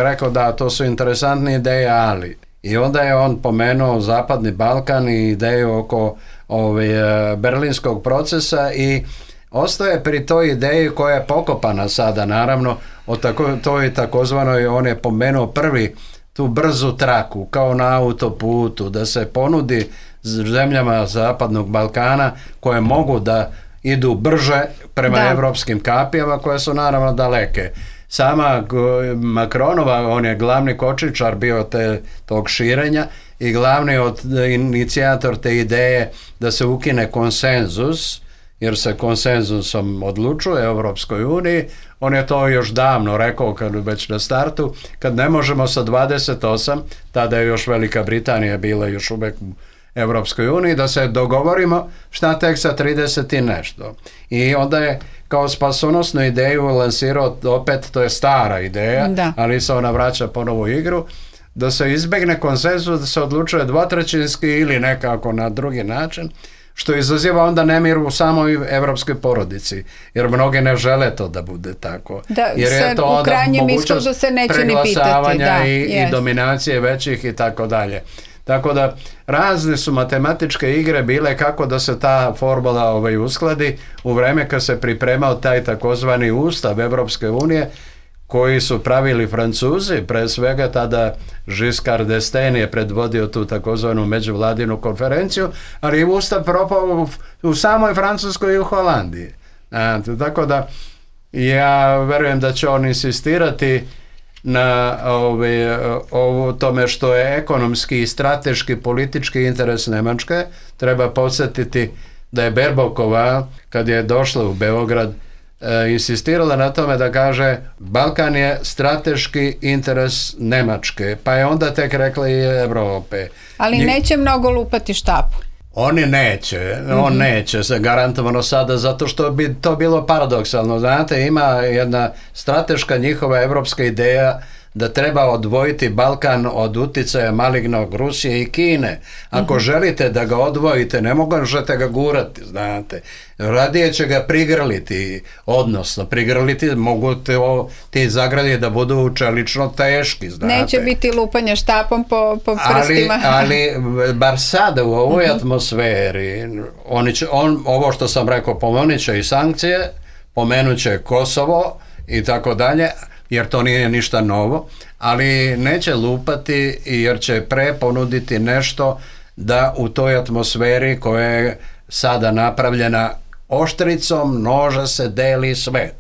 rekao da to su interesantne ideje, ali. I onda je on pomenuo Zapadni Balkan i ideju oko berlinskog procesa i ostaje pri toj ideji koja je pokopana sada, naravno, o toj takozvanoj, on je pomenuo prvi tu brzu traku, kao na autoputu, da se ponudi zemljama Zapadnog Balkana koje mogu da idu brže prema evropskim kapijama koje su naravno daleke. Sama Macronova, on je glavni kočničar bio tog širenja i glavni inicijator te ideje da se ukine konsenzus, jer se konsenzusom odlučuje u Evropskoj uniji. On je to još davno rekao, kad već na startu, kad ne možemo sa 28, tada je još Velika Britanija bila još uvijek u Evropskoj uniji, da se dogovorimo šta tek sa 30 i nešto. I onda je kao spasonosnu ideju lansirao, opet to je stara ideja, ali se ona vraća ponovo u igru, da se izbegne konsenzus, da se odlučuje dvotrećinski ili nekako na drugi način, što izaziva onda nemir u samoj evropskoj porodici, jer mnogi ne žele to da bude tako. Jer je to onda mogućnost preglasavanja i dominacije većih i tako dalje. Tako da razne su matematičke igre bile kako da se ta formula uskladi u vreme kad se pripremao taj takozvani ustav Evropske unije koji su pravili Francuzi, pre svega tada Giscard d'Estaing je predvodio tu takozvanu međuvladinu konferenciju, ali je ustav propao u samoj Francuskoj i u Holandiji. Tako da ja verujem da će on insistirati na tome što je ekonomski i strateški politički interes Nemačke. Treba podsjetiti da je Baerbockova, kad je došla u Beograd, insistirala na tome da kaže Balkan je strateški interes Nemačke, pa je onda tek rekla i Evrope. Ali neće mnogo lupati štapu. On neće se garantovano sada, zato što bi to bilo paradoksalno. Znate, ima jedna strateška njihova evropska ideja da treba odvojiti Balkan od uticaja malignog Rusije i Kine. Ako želite da ga odvojite, ne možete ga gurati, znate. Radije će ga prigrliti, odnosno prigrliti, mogu ti zagradi da budu čelično teški, znate. Neće biti lupanja štapom po prstima. Ali bar sada u ovoj atmosferi, ovo što sam rekao, pomenut će i sankcije, pomenut će Kosovo i tako dalje, jer to nije ništa novo, ali neće lupati jer će ponuditi nešto da u toj atmosferi koja je sada napravljena oštricom noža se deli svet.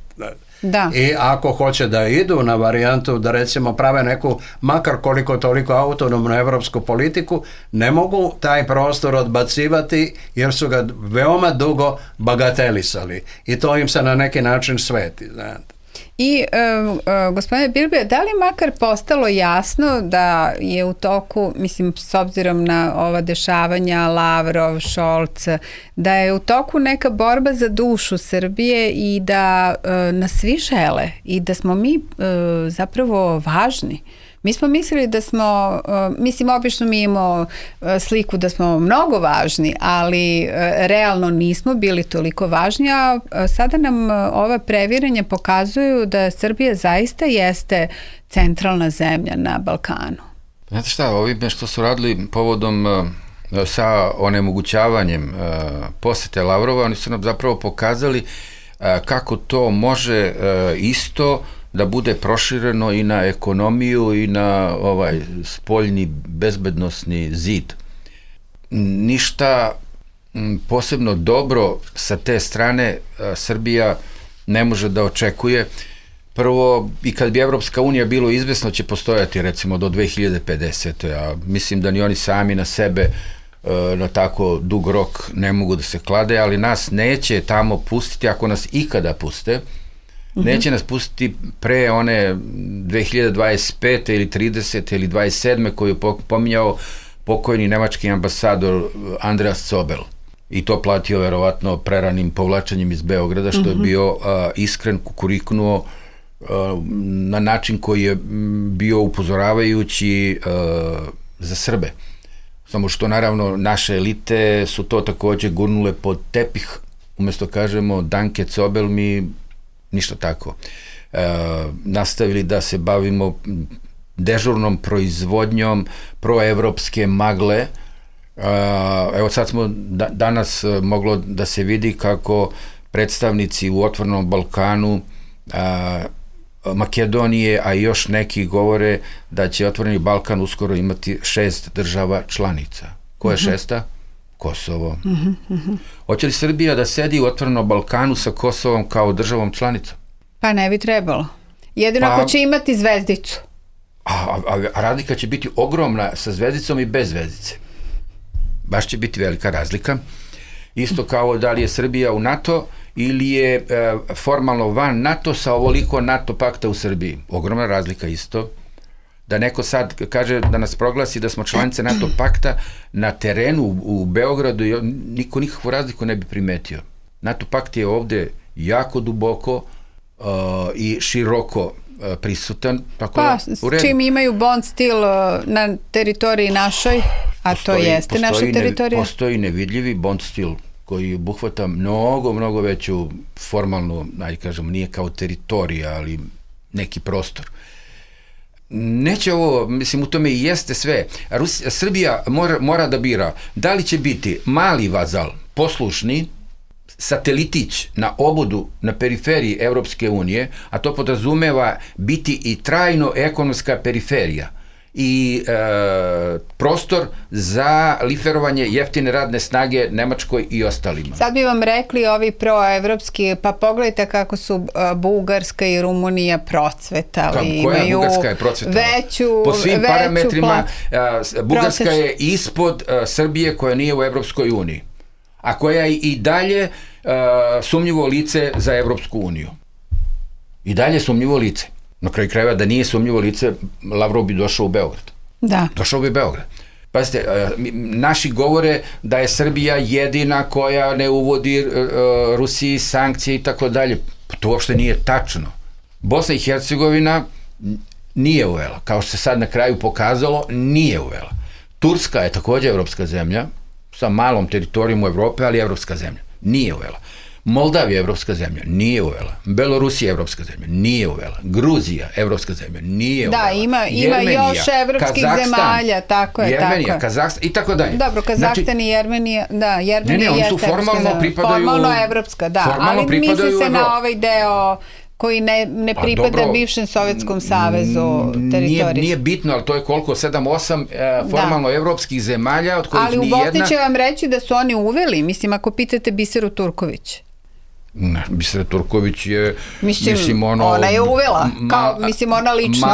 Da. I ako hoće da idu na varijantu da recimo prave neku makar koliko toliko autonomnu evropsku politiku, ne mogu taj prostor odbacivati jer su ga veoma dugo bagatelisali i to im se na neki način sveti, znate. I gospodine Bilbe, da li makar postalo jasno da je u toku, mislim s obzirom na ova dešavanja Lavrov, Scholz, da je u toku neka borba za dušu Srbije i da nas svi žele i da smo mi zapravo važni. Mi smo mislili da smo, mislim, obično mi imamo sliku da smo mnogo važni, ali realno nismo bili toliko važni, a sada nam ova previranja pokazuju da Srbija zaista jeste centralna zemlja na Balkanu. Znate šta, ovime što su radili povodom sa onemogućavanjem posete Lavrova, oni su nam zapravo pokazali kako to može isto da bude prošireno i na ekonomiju i na ovaj spoljni bezbednosni zid. Ništa posebno dobro sa te strane Srbija ne može da očekuje. Prvo, i kad bi Evropska unija bilo izvesno će postojati recimo do 2050. A mislim da ni oni sami na sebe na tako dug rok ne mogu da se klade, ali nas neće tamo pustiti, ako nas ikada puste, neće nas pustiti pre one 2025. ili 30. ili 27. koju je pominjao pokojni nemački ambasador Andreas Zobel. I to platio verovatno preranim povlačenjem iz Beograda, što je bio iskren, kukuriknuo na način koji je bio upozoravajući za Srbe. Samo što naravno naše elite su to takođe gurnule pod tepih, umesto kažemo Danke Zobel, mi ništa tako. Nastavili da se bavimo dežurnom proizvodnjom proevropske magle. Evo sad smo danas moglo da se vidi kako predstavnici u Otvorenom Balkanu Makedonije, a i još neki govore da će Otvoreni Balkan uskoro imati 6 država članica. Ko je šesta? Kosovo. Hoće li Srbija da sedi u Otvorenom Balkanu sa Kosovom kao državom članicom? Pa ne bi trebalo. Jedino ako će imati zvezdicu. A razlika će biti ogromna sa zvezdicom i bez zvezdice. Baš će biti velika razlika. Isto kao da li je Srbija u NATO ili je formalno van NATO sa ovoliko NATO pakta u Srbiji. Ogromna razlika isto. Da neko sad kaže da nas proglasi da smo članice NATO pakta na terenu u Beogradu, niko nikakvu razliku ne bi primetio. NATO pakt je ovde jako duboko i široko prisutan. Pa, s čim imaju bond stil na teritoriji našoj, a to jeste naša teritorija. Postoji nevidljivi bond stil koji obuhvata mnogo veću formalnu, ajde kažemo, nije kao teritorija, ali neki prostor. Neće ovo, mislim, u tome i jeste sve. Srbija mora da bira da li će biti mali vazal, poslušni, satelitić na obodu, na periferiji Evropske unije, a to podrazumeva biti i trajno ekonomska periferija i prostor za liferovanje jeftine radne snage Nemačkoj i ostalima. Sad bi vam rekli ovi proevropski, pa pogledajte kako su Bugarska i Rumunija procvetali. Koja Bugarska je procvetala? Po svim parametrima Bugarska je ispod Srbije koja nije u Evropskoj uniji, a koja je i dalje sumnjivo lice za Evropsku uniju. I dalje sumnjivo lice. Na kraju krajeva, da nije sumnjivo lice, Lavrov bi došao u Beograd. Da. Došao bi u Beograd. Pazite, naši govore da je Srbija jedina koja ne uvodi Rusiji sankcije i tako dalje. To uopšte nije tačno. Bosna i Hercegovina nije uvela. Kao što se sad na kraju pokazalo, nije uvela. Turska je takođe evropska zemlja, sa malom teritorijom u Evrope, ali evropska zemlja. Nije uvela. Moldavija je evropska zemlja, nije uvela. Belorusija je evropska zemlja, nije uvela. Gruzija, evropska zemlja, nije uvela. Da, ima još evropskih zemalja, tako je. Jermenija, Kazahstan i tako dalje. Dobro, Kazahstan i Jermenija, da, Jermenija oni su formalno pripadaju... Formalno evropska, da, ali misli se na ovaj deo koji ne pripada bivšem Sovjetskom savezu teritoriji. Nije bitno, ali to je koliko? 7-8 formalno evropskih zemalja, od kojih ni jedna... Ali u Bosni će vam reći da su oni uveli, mislim, ako pitate Biseru Turković. Ne, Bisera Turković je, mislim ona je uvela, ona lično.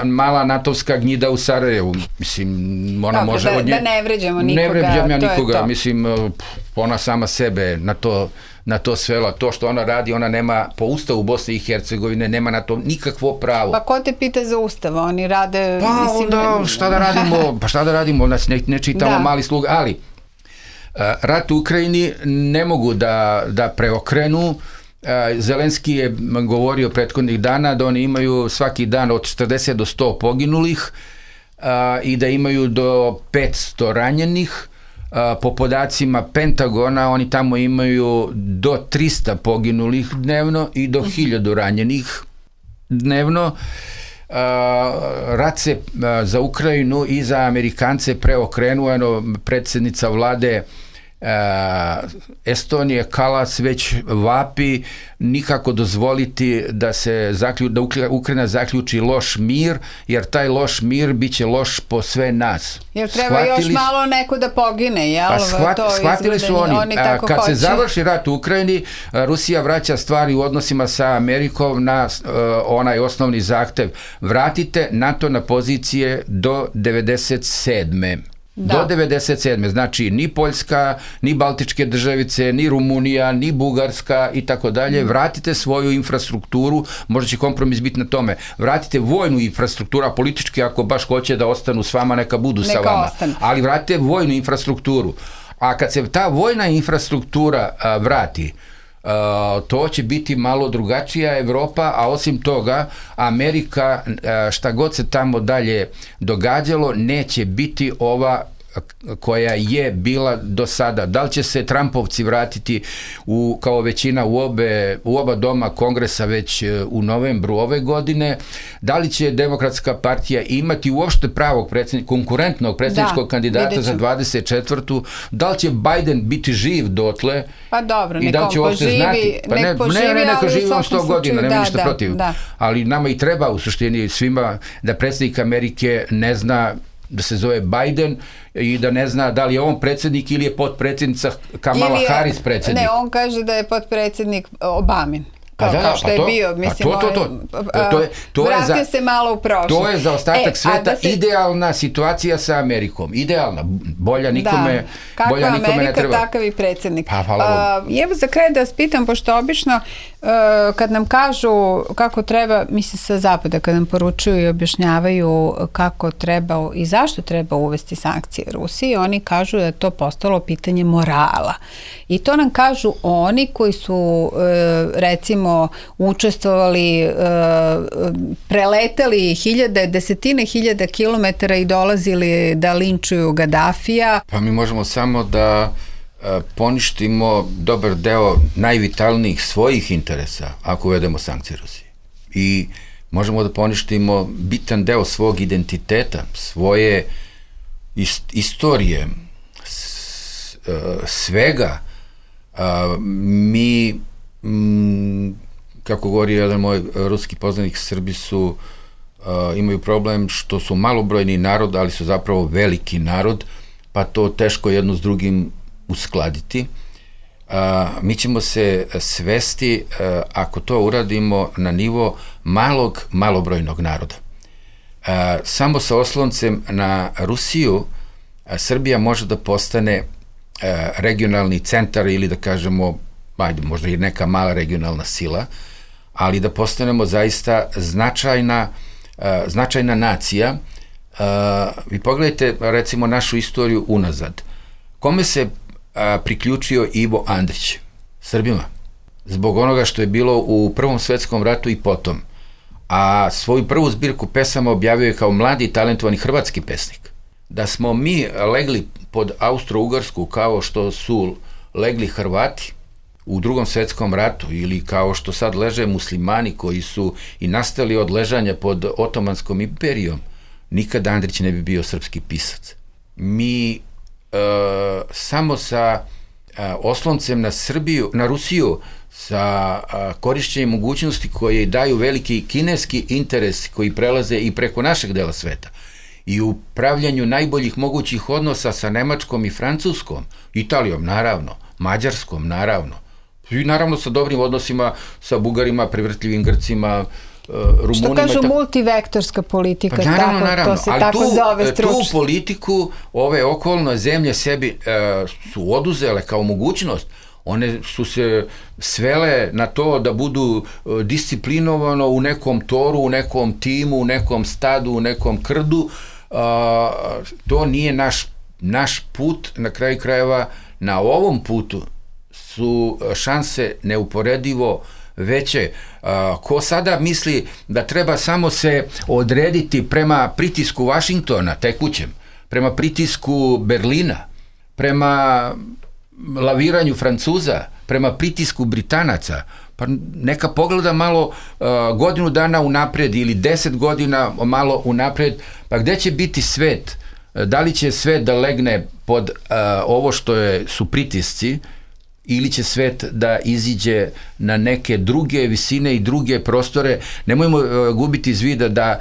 Mala natovska gnjida u Sarajevu, mislim, ona može od nje... Da ne vređamo nikoga, ne vređam ja nikoga, mislim, ona sama sebe na to svela. To što ona radi, ona nema, po ustavu Bosne i Hercegovine, nema na to nikakvo pravo. Pa ko te pita za ustav? Oni rade... Pa onda, šta da radimo, nas ne čitamo mali slug, ali... Rat u Ukrajini ne mogu da preokrenu Zelenski je govorio prethodnih dana da oni imaju svaki dan od 40 do 100 poginulih i da imaju do 500 ranjenih. Po podacima Pentagona oni tamo imaju do 300 poginulih dnevno i do 1000 ranjenih dnevno. Rat se za Ukrajinu i za Amerikance preokrenuo. Predsjednica vlade Estonije Kalas već vapi nikako dozvoliti da Ukrajina zaključi loš mir, jer taj loš mir biće loš po sve nas. Jer treba još malo neko da pogine, jel? Shvatili su oni kad se završi rat u Ukrajini, Rusija vraća stvari u odnosima sa Amerikom na onaj osnovni zahtev. Vratite NATO na pozicije do 97. Do 97. Znači ni Poljska, ni Baltičke državice, ni Rumunija, ni Bugarska i tako dalje. Vratite svoju infrastrukturu, možda će kompromis biti na tome. Vratite vojnu infrastrukturu, a politički ako baš hoće da ostanu s vama, neka budu sa vama. Ali vratite vojnu infrastrukturu. A kad se ta vojna infrastruktura vrati, to će biti malo drugačija Evropa, a osim toga Amerika, šta god se tamo dalje događalo, neće biti ova koja je bila do sada. Da li će se Trumpovci vratiti kao većina u oba doma Kongresa već u novembru ove godine? Da li će Demokratska partija imati uopšte pravog konkurentnog predsjedničkog kandidata za 24. Da li će Biden biti živ dotle? Pa dobro, nek on poživi, neka živi on 100 godina, nema ništa protiv. Ali nama i treba u suštini svima da predsjednik Amerike ne zna da se zove Biden i da ne zna da li je on predsjednik ili je potpredsjednica Kamala Harris predsjednik. Ne, on kaže da je potpredsjednik Obamin. Kao što je bio, mislim, vratio se malo u prošlost. To je za ostatak sveta idealna situacija sa Amerikom. Idealna, bolja nikome ne treba. Kakva Amerika, takav i predsjednik. Evo za kraj da vas pitam, pošto obično kad nam kažu kako treba, mislim sa zapada, kad nam poručuju i objašnjavaju kako treba i zašto treba uvesti sankcije Rusiji, oni kažu da je to postalo pitanje morala. I to nam kažu oni koji su recimo učestvovali, preletali desetine hiljada kilometara i dolazili da linčuju Gadafija. Pa mi možemo samo da poništimo dobar deo najvitalnijih svojih interesa ako uvedemo sankcije Rusiji. I možemo da poništimo bitan deo svog identiteta, svoje istorije, svega. Mi, kako govori jedan moj ruski poznanik, Srbi imaju problem što su malobrojni narod, ali su zapravo veliki narod, pa to teško jedno s drugim uskladiti. Mi ćemo se svesti, ako to uradimo, na nivo malobrojnog naroda. Samo sa osloncem na Rusiju Srbija može da postane regionalni centar ili da kažemo, možda i neka mala regionalna sila, ali da postanemo zaista značajna nacija. Vi pogledajte recimo našu istoriju unazad. Kome se priključio Ivo Andrić? Srbima. Zbog onoga što je bilo u Prvom svetskom ratu i potom. A svoju prvu zbirku pesama objavio je kao mladi i talentovani hrvatski pesnik. Da smo mi legli pod Austro-Ugarsku kao što su legli Hrvati u Drugom svetskom ratu ili kao što sad leže muslimani koji su i nastali od ležanja pod Otomanskom imperijom, nikad Andrić ne bi bio srpski pisac. Mi samo sa osloncem na Srbiju, na Rusiju, sa korišćenjem mogućnosti koje daju veliki kineski interes koji prelaze i preko našeg dela sveta i u pravljanju najboljih mogućih odnosa sa Nemačkom i Francuskom, Italijom naravno, Mađarskom naravno, i naravno sa dobrim odnosima sa Bugarima, privrtljivim Grcima, Rumunima. Što kažu multivektorska politika, pa naravno, to se tako zove stručno. Tu politiku ove okolne zemlje sebi su oduzele kao mogućnost. One su se svele na to da budu disciplinovano u nekom toru, u nekom timu, u nekom stadu, u nekom krdu. To nije naš put. Na kraju krajeva, na ovom putu su šanse neuporedivo veće. Ko sada misli da treba samo se odrediti prema pritisku Vašingtona tekućem, prema pritisku Berlina, prema laviranju Francuza, prema pritisku Britanaca, pa neka pogleda malo godinu dana unapred ili 10 godina malo unapred, pa gde će biti svet? Da li će svet da legne pod ovo što su pritisci, ili će svet da iziđe na neke druge visine i druge prostore. Nemojmo gubiti iz vida da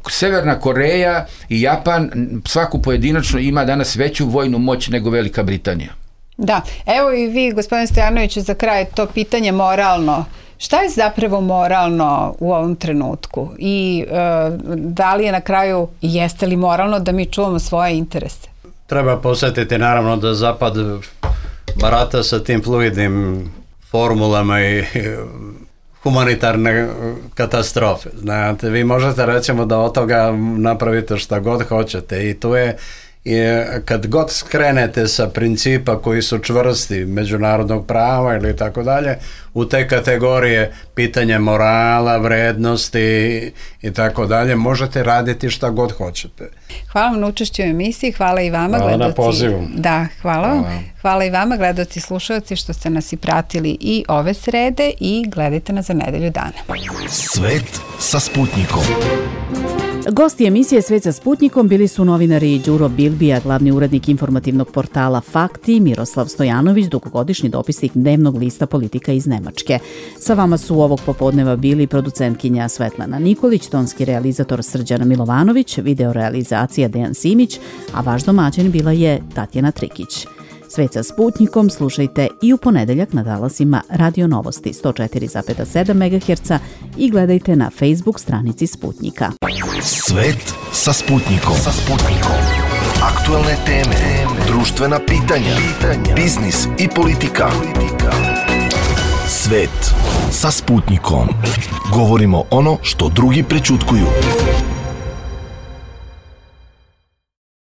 Severna Koreja i Japan svaku pojedinačno ima danas veću vojnu moć nego Velika Britanija. Da, evo i vi, gospodine Stojanoviću, za kraj to pitanje moralno. Šta je zapravo moralno u ovom trenutku i da li je na kraju, jeste li moralno da mi čuvamo svoje interese? Treba posjetiti naravno da Zapad barata sa tim fluidnim formulama i humanitarne katastrofe. Znate, vi možete recimo da od toga napravite šta god hoćete i tu je kad god skrenete sa principa koji su čvrsti međunarodnog prava ili tako dalje, u te kategorije pitanje morala, vrednosti i tako dalje, možete raditi šta god hoćete. Hvala vam na učešću u emisiji, hvala i vama gledaoci. Hvala na pozivu. Da, hvala. Hvala i vama gledaoci i slušalci što ste nas i pratili i ove srede i gledajte nas za nedelju dana. Svet sa Sputnikom. Gosti emisije Svet sa Sputnikom bili su novinari Đuro Bilbija, glavni urednik informativnog portala Fakti, Miroslav Stojanović, dugogodišnji dopisnik dnevnog lista Politika iz Nemačke. Sa vama su ovog popodneva bili producentkinja Svetlana Nikolić, tonski realizator Srđana Milovanović, videorealizacija Dejan Simić, a vaš domaćin bila je Tatjana Trikić. Svet sa Sputnikom slušajte i u ponedeljak na talasima Radio Novosti 104,7 MHz i gledajte na Facebook stranici Sputnika. Svet sa Sputnikom. Aktuelne teme, društvena pitanja, biznis i politika. Svet sa Sputnikom. Govorimo ono što drugi prećutkuju.